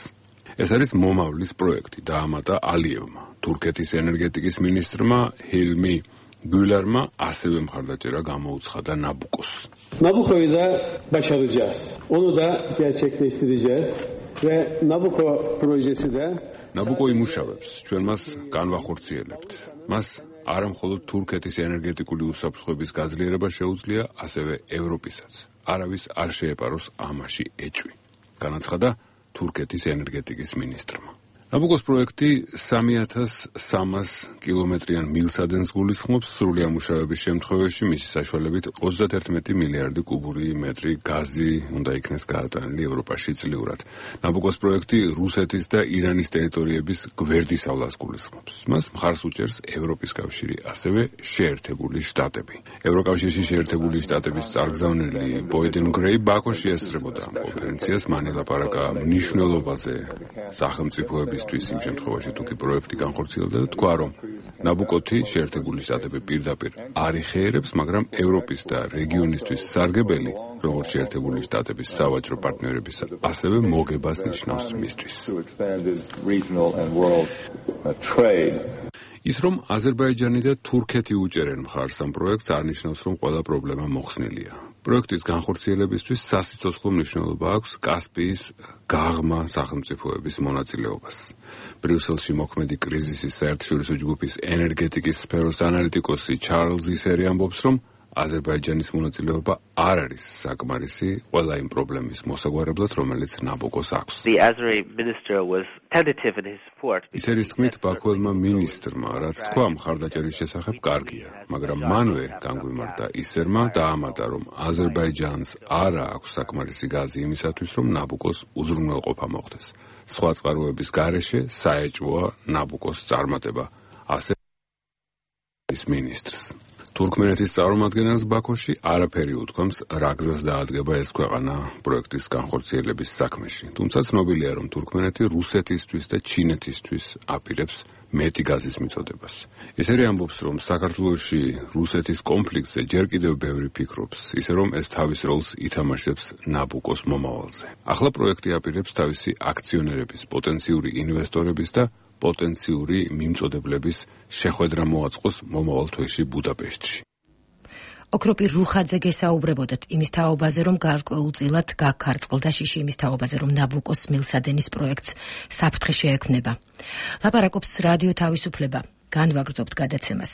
ეს არის მომავლის პროექტი, დაამატა ალიევმა. თურქეთის ენერგეტიკის მინისტრმა ჰილმი გულარმა ასევე მხარდაჭერა გამოუცხადა ნაბუკოს. Nabuko'yu da başaracağız. Onu da gerçekleştireceğiz ve Nabuko projesi de ნაბუკო იმუშავებს, ჩვენ მას განვახორციელებთ. მას არა მხოლოდ თურქეთის ენერგეტიკული უსაფრთხოების გაძლიერება შეუძლია, ასევე ევროპისაც. არავის არ შეეპაროს ამაში ეჭვი. განაცხადა თურქეთის ენერგეტიკის მინისტრმა. ნაბუკოს პროექტი სამი ათას სამას კილომეტრიან მილსადენს გულისხმობს, სრული ამუშავების შემთხვევაში მისი საშუალებით ოცდათერთმეტი მილიარდი კუბური მეტრი გაზი უნდა იქნეს გაატანილი ევროპაში წლიურად. ნაბუკოს პროექტი რუსეთის და ირანის ტერიტორიების გვერდისავლას გულისხმობს. მას მხარს უჭერს ევროპის კავშირი, ასევე შეერთებული შტატები. ევროკავშირში შეერთებული შტატების წარგზავნილი ბოიდენ გრეი ბაქოში ესწრებოდა ამ კონფერენციას, მან ელაპარაკა მნიშვნელობაზე სახელმწიფოების იმ შემთხვევაში თუკი პროექტი განხორციელდა და თქვა, რომ ნაბუკოთი შეერთებული შტატები პირდაპირ არ იხეერებს, მაგრამ ევროპის და რეგიონისთვის სარგებელი, როგორც შეერთებული შტატების სავაჭრო პარტნიორების, ასევე მოგებას ნიშნავს მისთვის. ის რომ აზერბაიჯანი და თურქეთი უჭერენ მხარს ამ პროექტს, არ ნიშნავს, რომ ყველა პრობლემა მოხსნილია. პროექტის განხორციელებისთვის სასიცოცხლო მნიშვნელობა აქვს კასპიის გაღმა სახელმწიფოების მონაწილეობას. ბრიუსელში მოქმედი კრიზისის საერთაშორისო ჯგუფის ენერგეტიკის სფეროს ანალიტიკოსი ჩარლზ ისერი ამბობს, რომ აზერბაიჯანის მონაწილეობა არ არის საკმარისი ყველა იმ პრობლემის მოსაგვარებლად, რომელიც ნაბუკოს აქვს. ის არის თქმით ბაქუელმა მინისტრმა, რაც თქვა მხარდაჭერის შესახებ კარგია, მაგრამ მანვე განგვიმართა ისერმა დაამატა, რომ აზერბაიჯანს არ აქვს საკმარისი გაზი იმისათვის, რომ ნაბუკოს უზრუნველყოფა მოხდეს. სხვა წყაროების გარეშე საეჭვოა ნაბუკოს წარმატება, ასე ის მინისტრს. თურქმენეთის წარმომადგენელს ბაქოში არაფერი უთქვამს, რა გზას დაადგება ეს ქვეყანა პროექტის განხორციელების საქმეში. თუმცა ცნობილია, რომ თურქმენეთი რუსეთისთვის და ჩინეთისთვის აპირებს მეტი გაზის მიწოდებას. ისერი ამბობს, რომ საქართველოში რუსეთის კონფლიქტზე ჯერ კიდევ ბევრი ფიქრობს, ისე რომ ეს თავის როლს ითამაშებს ნაბუკოს მომავალზე. ახლა პროექტი აპირებს თავისი აქციონერების, პოტენციური ინვესტორების და პოტენციური მიმწოდებლების შეხვედრა მოაწყოს მომავალ თვეში ბუდაპეშტში. ოქროპირ რუხაძე გესაუბრებოდათ იმის თაობაზე, რომ გარკვეულწილად გაქარწყლდა შიში იმის თაობაზე, რომ ნაბუკოს მილსადენის პროექტს საფრთხე შეექმნება. ლაპარაკობს რადიო თავისუფლება. განვაგრძობთ გადაცემას.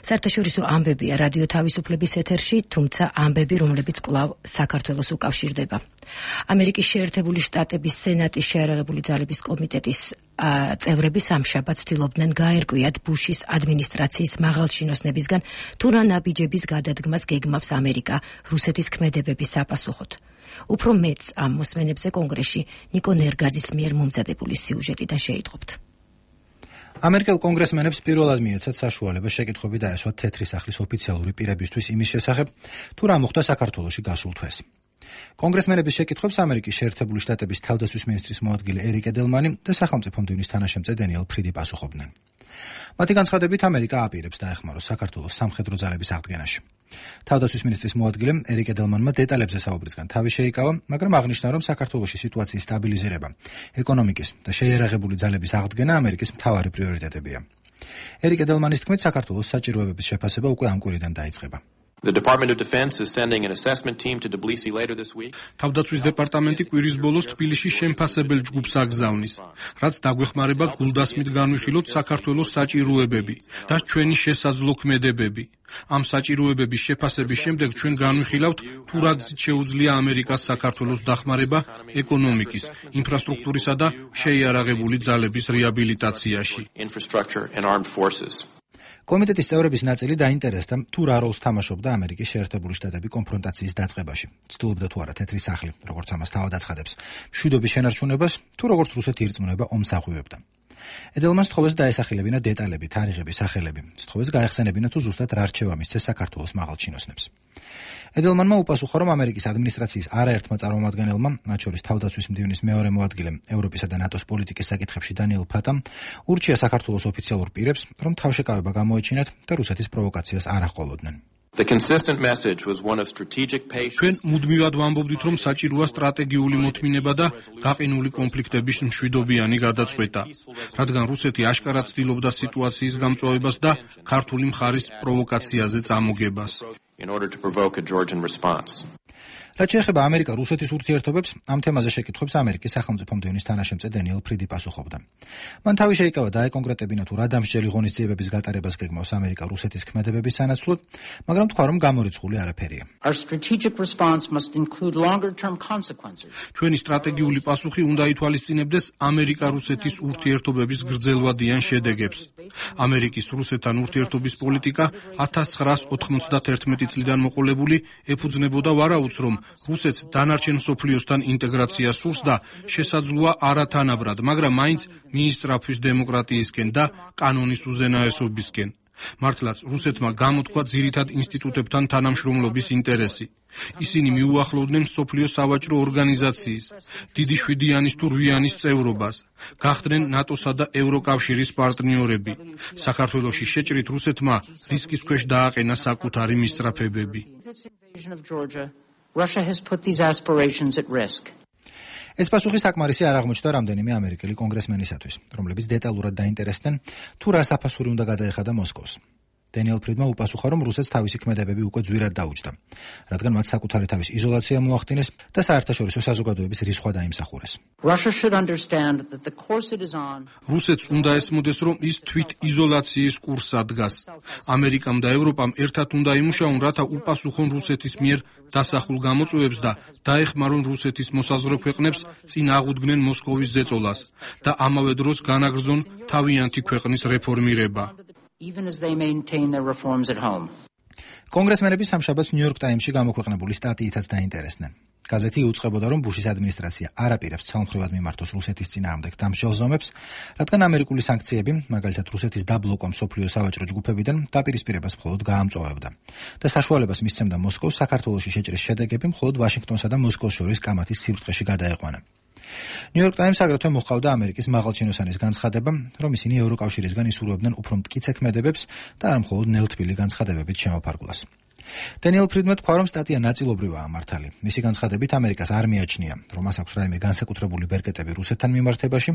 საერთაშორისო ამბებია რადიო თავისუფლების ეთერში, თუმცა ამბები, რომლებიც კვლავ საქართველოს უკავშირდება. ამერიკის შეერთებული შტატების სენატის შეიარაღებული ძალების კომიტეტის წევრები სამშაბათ ცდილობდნენ გაერკვიათ ბუშის ადმინისტრაციის მაღალჩინოსნებისგან თუ რა ნაბიჯების გადადგმას გეგმავს ამერიკა რუსეთის ქმედებების საპასუხოდ. უფრო მეც ამ მოსმენებზე კონგრესში ნიკო ნერგაძის მიერ მომზადებული სიუჟეტიდან შეიტყობთ. ამერიკელ კონგრესმენებს პირველად მიეცათ საშუალება შეკითხვები დაესვათ თეთრი სახლის ოფიციალური პირებისთვის იმის შესახებ, თუ რა მოხდა საქართველოში გასულ თვეს. კონგრესმენების შეკითხვებს ამერიკის შეერთებული შტატების თავდაცვის მინისტრის მოადგილე ერიკ ედელმანი და სახელმწიფო მდივნის თანაშემწე დენიელ ფრიდი პასუხობდნენ. მათი განცხადებით ამერიკა აპირებს დაეხმაროს საქართველოს სამხედრო ძალების აღდგენაში. თავდაცვის მინისტრის მოადგილემ ერიკ ედელმანმა დეტალებზე საუბრისგან თავი შეიკავა, მაგრამ აღნიშნა, რომ საქართველოში სიტუაციის სტაბილიზირება, ეკონომიკის და შეიარაღებული ძალების აღდგენა ამერიკის მთავარი პრიორიტეტებია. ერიკ ედელმანის თქმით, საქართველოს საჭიროებების შეფასება უკვე ამ კვირიდან დაიწყება. The Department of Defense is sending an assessment team to Tbilisi later this week. თავდაცვის დეპარტამენტი კვირის ბოლოს თბილისში შემფასებელ ჯგუფს აგზავნის, რაც დაგვეხმარება გულდასმით განვიხილოთ საქართველოს საჭიროებები და ჩვენი შესაძლო ქმედებები. ამ საჭიროებების შეფასების შემდეგ ჩვენ განვიხილავთ თუ რა გზით შეუძლია ამერიკას საქართველოს დახმარება ეკონომიკის, ინფრასტრუქტურისა და შეიარაღებული ძალების რეაბილიტაციაში. კომიტეტის წევრების ნაწილი დაინტერესდა თუ რა როლს თამაშობდა ამერიკის შეერთებული შტატები კონფრონტაციის დაწყებაში. ცდილობდა თუ არა თეთრი სახლი, როგორც ამას თავად აცხადებს, მშვიდობის შენარჩუნებას, თუ როგორც რუსეთი ირწმუნება ომს აღვივებდა. ედელმანს სთხოვეს დაესახელებინა დეტალები, თარიღები, სახელები. სთხოვეს გაეხსენებინა თუ ზუსტად რა რჩევა მისცეს საქართველოს მაღალჩინოსნებს. ედელმანმა უპასუხა, რომ ამერიკის ადმინისტრაციის არაერთმა წარმომადგენელმა, მათ შორის თავდაცვის მდივნის მეორე მოადგილემ, ევროპისა და ნატოს პოლიტიკის საკითხებში დანიელ ფატამ, ურჩია საქართველოს ოფიციალურ პირებს, რომ თავშეკავება გამოეჩინათ და რუსეთის პროვოკაციას არ აღყოლოდნენ. The consistent message was one of strategic patience. ჩვენ მუდმივად ვამბობდით, რომ საჭიროა სტრატეგიული მოთმინება და გაყინული კონფლიქტების მშვიდობიანი გადაწყვეტა, რადგან რუსეთი აშკარად ცდილობდა სიტუაციის გამწვავებას და ქართული მხარის პროვოკაციაზე წამოგებას. In order to provoke a Georgian response. რაც შეეხება ამერიკა-რუსეთის ურთიერთობებს, ამ თემაზე შეკითხვებს ამერიკის სახელმწიფო მდივნის თანაშემწე დენიელ ფრიდი პასუხობდა. მან თავი შეიკავა დაეკონკრეტებინა თუ რა დამსჯელი ღონისძიებების გატარებას გეგმავს ამერიკა რუსეთის ქმედებების სანაცვლოდ, მაგრამ თქვა, რომ გამორიცხული არაფერია. Our strategic response must include longer-term consequences. ჩვენი სტრატეგიული პასუხი უნდა ითვალისწინებდეს ამერიკა-რუსეთის ურთიერთობების გრძელვადიან შედეგებს. ამერიკის რუსეთთან ურთიერთობის პოლიტიკა ათას ცხრაას ოთხმოცდაათერთმეტი წლიდან მოყოლებული ეფუძნებოდა ვარაუდს, რომ რუსეთს დანარჩენ მსოფლიოსთან ინტეგრაცია სურს და შესაძლოა არათანაბრად, მაგრამ მაინც მიისწრაფვის დემოკრატიისკენ და კანონის უზენაესობისკენ. მართლაც რუსეთმა გამოთქვა ძირითად ინსტიტუტებთან თანამშრომლობის ინტერესი. ისინი მიუახლოვდნენ მსოფლიოს სავაჭრო ორგანიზაციის, დიდი შვიდიანის თუ რვიანის წევრობას, გახდნენ ნატოსა და ევროკავშირის პარტნიორები. საქართველოში შეჭრით რუსეთმა რისკის ქვეშ დააყენა საკუთარი მისწრაფებები. Russia has put these aspirations at risk. ეს პასუხი საკმარისი არ აღმოჩნდა რამდენიმე ამერიკელი კონგრესმენისათვის, რომლებიც დეტალურად დაინტერესდნენ თუ რა საფასური უნდა გადაეხადა მოსკოვს. დენიელ ფრიდმა უპასუხა, რომ რუსეთს თავისი ქმედებები უკვე ძვირად დაუჯდა, რადგან მათ საკუთარი თავის იზოლაცია მოახდინეს და საერთაშორისო საზოგადოების რისხვა დაიმსახურეს. რუსეთს უნდა ესმოდეს, რომ ის თვით იზოლაციის კურსად დგას. ამერიკამ და ევროპამ ერთად უნდა იმუშაონ, რათა უპასუხონ რუსეთის მიერ დასახულ გამოწვევებს და დაეხმარონ რუსეთის მოსაზღვრე ქვეყნებს წინ აღუდგნენ მოსკოვის ზეწოლას და ამავე დროს განაგრძონ თავიანთი ქვეყნის რეფორმირება. Even as they maintain their reforms at home. კონგრესმენები სამშაბათს ნიუ-იორკ ტაიმსში გამოქვეყნებული სტატიითაც დაინტერესდნენ. გაზეთი იუწყებოდა, რომ ბუშის ადმინისტრაცია არ აპირებს ცალმხრივად მიმართოს რუსეთის წინააღმდეგ დამსჯელ ზომებს, რადგან ამერიკული სანქციები, მაგალითად რუსეთის დაბლოკვა მსოფლიო სავაჭრო ჯგუფებიდან დაპირისპირებას მხოლოდ გაამწვავებდა და საშუალებას მისცემდა მოსკოვს საქართველოში შეჭრის შედეგები მხოლოდ ვაშინგტონსა და მოსკოვს შორის კამათის სიბრტყეში გადაეყვანა. ნიუ-იორკ ტაიმს აგრეთვე მოჰყავდა ამერიკის მაღალჩინოსანის განცხადება, რომ ისინი ევროკავშირისგან ისურვებდნენ უფრო მტკიცე ქმედებებს და არ მხოლოდ ნელთბილი განცხადებებით შემოფარგლას. დენიელ ფრიდმა თქვა, რომ სტატია ნაწილობრივაა მართალი. მისი განცხადებით ამერიკას არ მიაჩნია, რომ მას აქვს რაიმე განსაკუთრებული ბერკეტები რუსეთთან მიმართებაში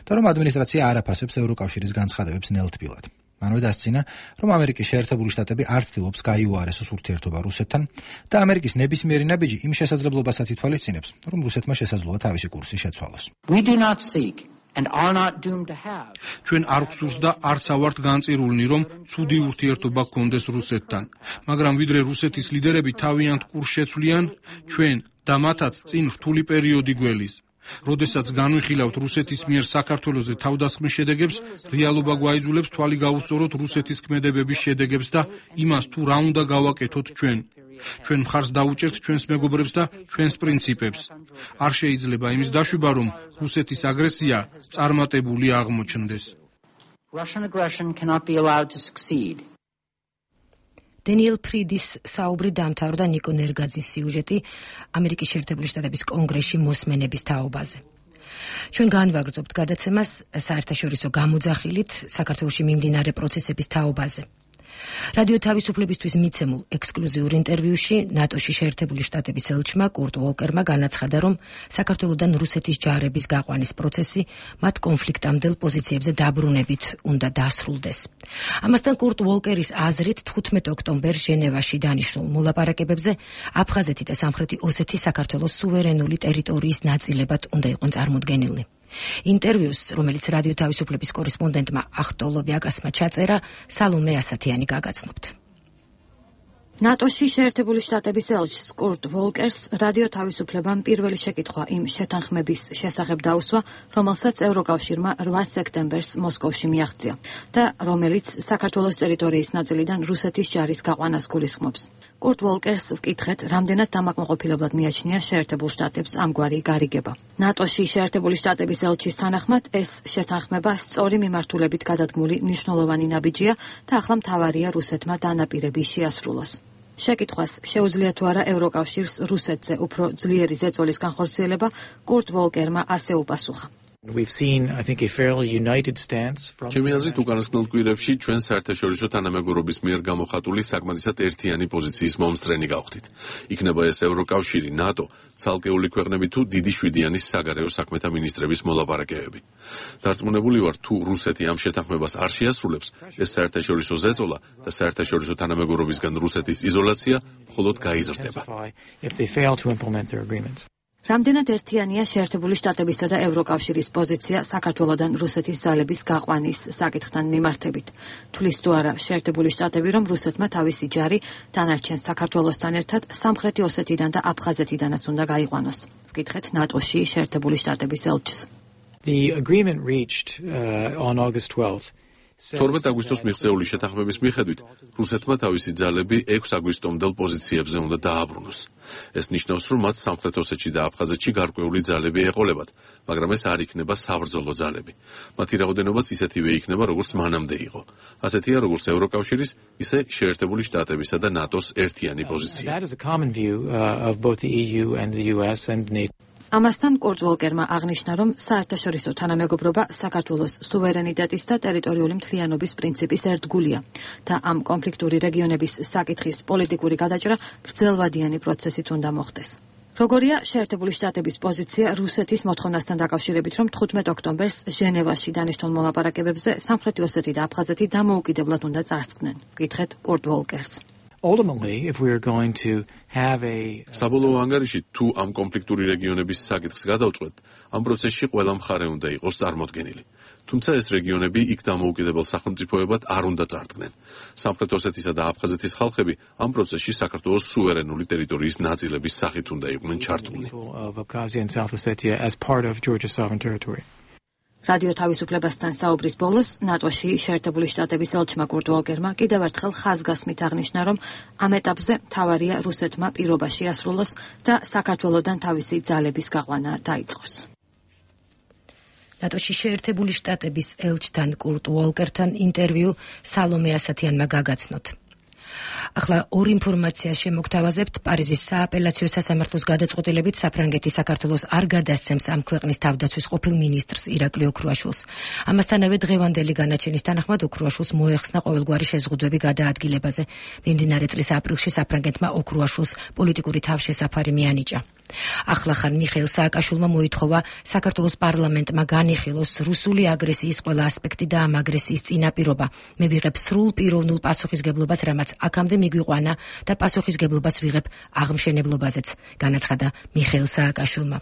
და რომ ადმინისტრაცია არ აფასებს ევროკავშირის განცხადებებს ნელთბილად. მანვე დასცინა, რომ ამერიკის შეერთებული შტატები არ ცდილობს გაიუარესოს ურთიერთობა რუსეთთან და ამერიკის ნებისმიერი ნაბიჯი იმ შესაძლებლობასაც ითვალისწინებს, რომ რუსეთმა შესაძლოა თავისი კურსი შეცვალოს. We do not seek and are not doomed to have. ჩვენ არ გვსურს და არც ავართ განწირულნი, რომ ცუდი ურთიერთობა გქონდეს რუსეთთან, მაგრამ ვიდრე რუსეთის ლიდერები თავიანთ კურსს შეცვლიან, ჩვენ და მათაც წინ რთული პერიოდი გველის. როდესაც განვიხილავთ რუსეთის მიერ საქართველოზე თავდასხმის შედეგებს, რეალობა გვაიძულებს თვალი გავუსწოროთ რუსეთის ქმედებების შედეგებს და იმას, თუ რა უნდა გავაკეთოთ ჩვენ. ჩვენ მხარს დაუჭერთ ჩვენს მეგობრებს და ჩვენს პრინციპებს. არ შეიძლება იმის დაშვება, რომ რუსეთის აგრესია წარმატებული აღმოჩნდეს. Russian aggression cannot be allowed to succeed. დენიელ ფრიდის საუბრი დამთავრდა ნიკო ნერგაძის სიუჟეტი ამერიკის შეერთებული შტატების კონგრესში მოსმენების თაობაზე. ჩვენ განვაგრძობთ გადაცემას საერთაშორისო გამოძახილით საქართველოში მიმდინარე პროცესების თაობაზე. რადიო თავისუფლებისთვის მიცემულ ექსკლუზიურ ინტერვიუში ნატოში შეერთებული შტატების ელჩმა კურტ ვოლკერმა განაცხადა, რომ საქართველოდან რუსეთის ჯარების გაყვანის პროცესი მათ კონფლიქტამდელ პოზიციებზე დაბრუნებით უნდა დასრულდეს. ამასთან კურტ ვოლკერის აზრით თხუთმეტ ოქტომბერს ჟენევაში დანიშნულ მოლაპარაკებებზე აფხაზეთი და სამხრეთი ოსეთი საქართველოს სუვერენული ტერიტორიის ნაწილებად უნდა იყვნენ წარმოდგენილნი. ინტერვიუს, რომელიც რადიო თავისუფლების კორესპონდენტმა ახტოლო ბიაკასმა ჩაწერა, სალომე ასათიანი გაგაცნობთ. ნატოში შეერთებული შტატების ელჩს კურტ ვოლკერს რადიო თავისუფლებამ პირველი შეკითხვა იმ შეთანხმების შესახებ დაუსვა, რომელსაც ევროკავშირმა რვა სექტემბერს მოსკოვში მიაღწია და რომელიც საქართველოს ტერიტორიის ნაწილიდან რუსეთის ჯარის გაყვანას გულისხმობს. კურტ ვოლკერს ვკითხეთ, რამდენად დამაკმაყოფილებლად მიაჩნია შეერთებულ შტატებს ამგვარი გარიგება. ნატოში შეერთებული შტატების ელჩის თანახმად ეს შეთანხმება სწორი მიმართულებით გადადგმული მნიშვნელოვანი ნაბიჯია და ახლა მთავარია რუსეთმა დანაპირების შეასრულოს. შეკითხვას შეუძლია თუ არა ევროკავშირს რუსეთზე უფრო ძლიერი ზეწოლის განხორციელება, კურტ ვოლკერმა ასე უპასუხა. We've seen, I think, a fairly united stance from ჩემი აზრით უკანასკნელ კვირებში ჩვენ საერთაშორისო თანამეგობრობის მიერ გამოხატული საკმარისად ერთიანი პოზიციის მომსწრენი გავხდით. იქნება ეს ევროკავშირი, ნატო, ცალკეული ქვეყნები თუ დიდი შვიდიანის საგარეო საქმეთა მინისტრების მოლაპარაკებები. დარწმუნებული ვარ, თუ რუსეთი ამ შეთანხმებას არ შეასრულებს, ეს საერთაშორისო ზეწოლა და საერთაშორისო თანამეგობრობისგან რუსეთის იზოლაცია მხოლოდ გაიზრდება. if they fail to implement their agreements. რამდენად ერთიანია შეერთებული შტატებისა და ევროკავშირის პოზიცია საქართველოდან რუსეთის ძალების გაყვანის საკითხთან მიმართებით. თulis თუ არა შეერთებული შტატები, რომ რუსეთმა თავისი ჯარი დანარჩენ საქართველოსთან ერთად სამხრეთი ოსეთიდან და აფხაზეთიდანაც უნდა გაიყვანოს. ვკითხეთ ნატოში შეერთებული შტატების ელჩს. The agreement reached uh, on August twelfth. თორმეტ აგვისტოს მიღწეული შეთანხმების მიხედვით, რუსეთმა თავისი ძალები ექვსი აგვისტომდელ პოზიციებზე უნდა დააბრუნოს. ეს ნიშნავს, რომ მათ სამხრეთ ოსეთში და აფხაზეთში გარკვეული ძალები ეყოლებათ, მაგრამ ეს არ იქნება საბრძოლო ძალები. მათი რაოდენობაც ისეთივე იქნება, როგორც მანამდე იყო. ასეთია, როგორც ევროკავშირის, ისე შეერთებული შტატებისა და ნატოს ერთიანი პოზიცია. That is a common view uh, of both the E U and the U S and NATO. ამასთან კურტ ვოლკერმა აღნიშნა, რომ საერთაშორისო თანამეგობრობა საქართველოს სუვერენიტეტის და ტერიტორიული მთლიანობის პრინციპის ერთგულია და ამ კონფლიქტური რეგიონების საკითხის პოლიტიკური გადაჭრა გრძელვადიანი პროცესით უნდა მოხდეს. როგორია შეერთებული შტატების პოზიცია რუსეთის მოთხოვნასთან დაკავშირებით, რომ თხუთმეტ ოქტომბერს ჟენევაში დანიშნულ მოლაპარაკებებზე სამხრეთი ოსეთი და აფხაზეთი დამოუკიდებლად უნდა წარსდგნენ. გითხრეთ კურტ ვოლკერს. Ultimately, if we are going to have a საბოლოო ანგარიში თუ ამ კონფლიქტური რეგიონების საკითხს გადავწყვეტ, ამ პროცესში ყველა მხარე უნდა იყოს წარმოდგენილი. თუმცა ეს რეგიონები იქ დამოუკიდებელ სახელმწიფოებად არ უნდა წარდგნენ. სამხრეთ ოსეთისა და აფხაზეთის ხალხები ამ პროცესში საქართველოს სუვერენული ტერიტორიის ნაწილების სახით უნდა იყვნენ ჩართულნი. რადიო თავისუფლებასთან საუბრის ბოლოს ნატოში შეერთებული შტატების ელჩმა კურტ ვოლკერმა კიდევ ერთხელ ხაზგასმით აღნიშნა, რომ ამ ეტაპზე მთავარია რუსეთმა პირობაში ასრულოს და საქართველოსთან თავისი ძალების გაყვანა დაიწყოს. ნატოში შეერთებული შტატების ელჩთან კურტ ვოლკერთან ინტერვიუ სალომე ასათიანმა გაგაცნოთ. ახლა ორ ინფორმაციას შემოგთავაზებთ. პარიზის სააპელაციო სასამართლოს გადაწყვეტილებით საფრანგეთი საქართველოს არ გადასცემს ამ ქვეყნის თავდაცვის ყოფილ მინისტრს ირაკლი ოქრუაშვილს. ამასთანავე დღევანდელი განაჩენის თანახმად ოქრუაშვილს მოეხსნა ყოველგვარი შეზღუდვები გადაადგილებაზე. მიმდინარე წლის აპრილში საფრანგეთმა ოქრუაშვილს პოლიტიკური თავშესაფარი მიანიჭა. ახლახან მიხეილ სააკაშვილმა მოითხოვა საქართველოს პარლამენტმა განიხილოს რუსული აგრესიის ყველა ასპექტი და ამ აგრესიის წინაპირობა. მე ვიღებ სრულ პიროვნულ პასუხისგებლობას, რამაც აქამდე მიგვიყვანა და პასუხისგებლობას ვიღებ აღმშენებლობაზეც, განაცხადა მიხეილ სააკაშვილმა.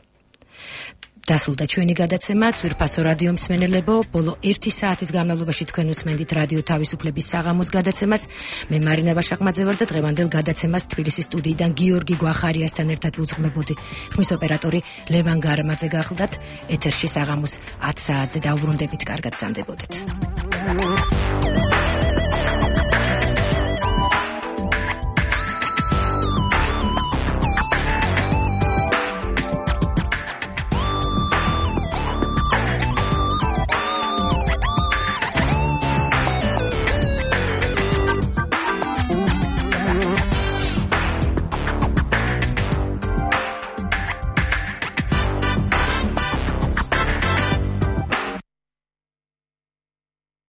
დასრულდა ჩვენი გადაცემა. ძვირფასო რადიო მსმენელებო, ბოლო ერთი საათის განმავლობაში თქვენ უსმენდით რადიო თავისუფლების საღამოს გადაცემას. მე მარინა ვაშაყმაძე ვარ და დღევანდელ გადაცემას თბილისის სტუდიიდან გიორგი გვახარიასთან ერთად ვუძღმებოდი. ხმის ოპერატორი ლევან გარამაძე გახლდათ. ეთერში საღამოს ათ საათზე დავბრუნდებით. კარგად გრძანდებოდეთ.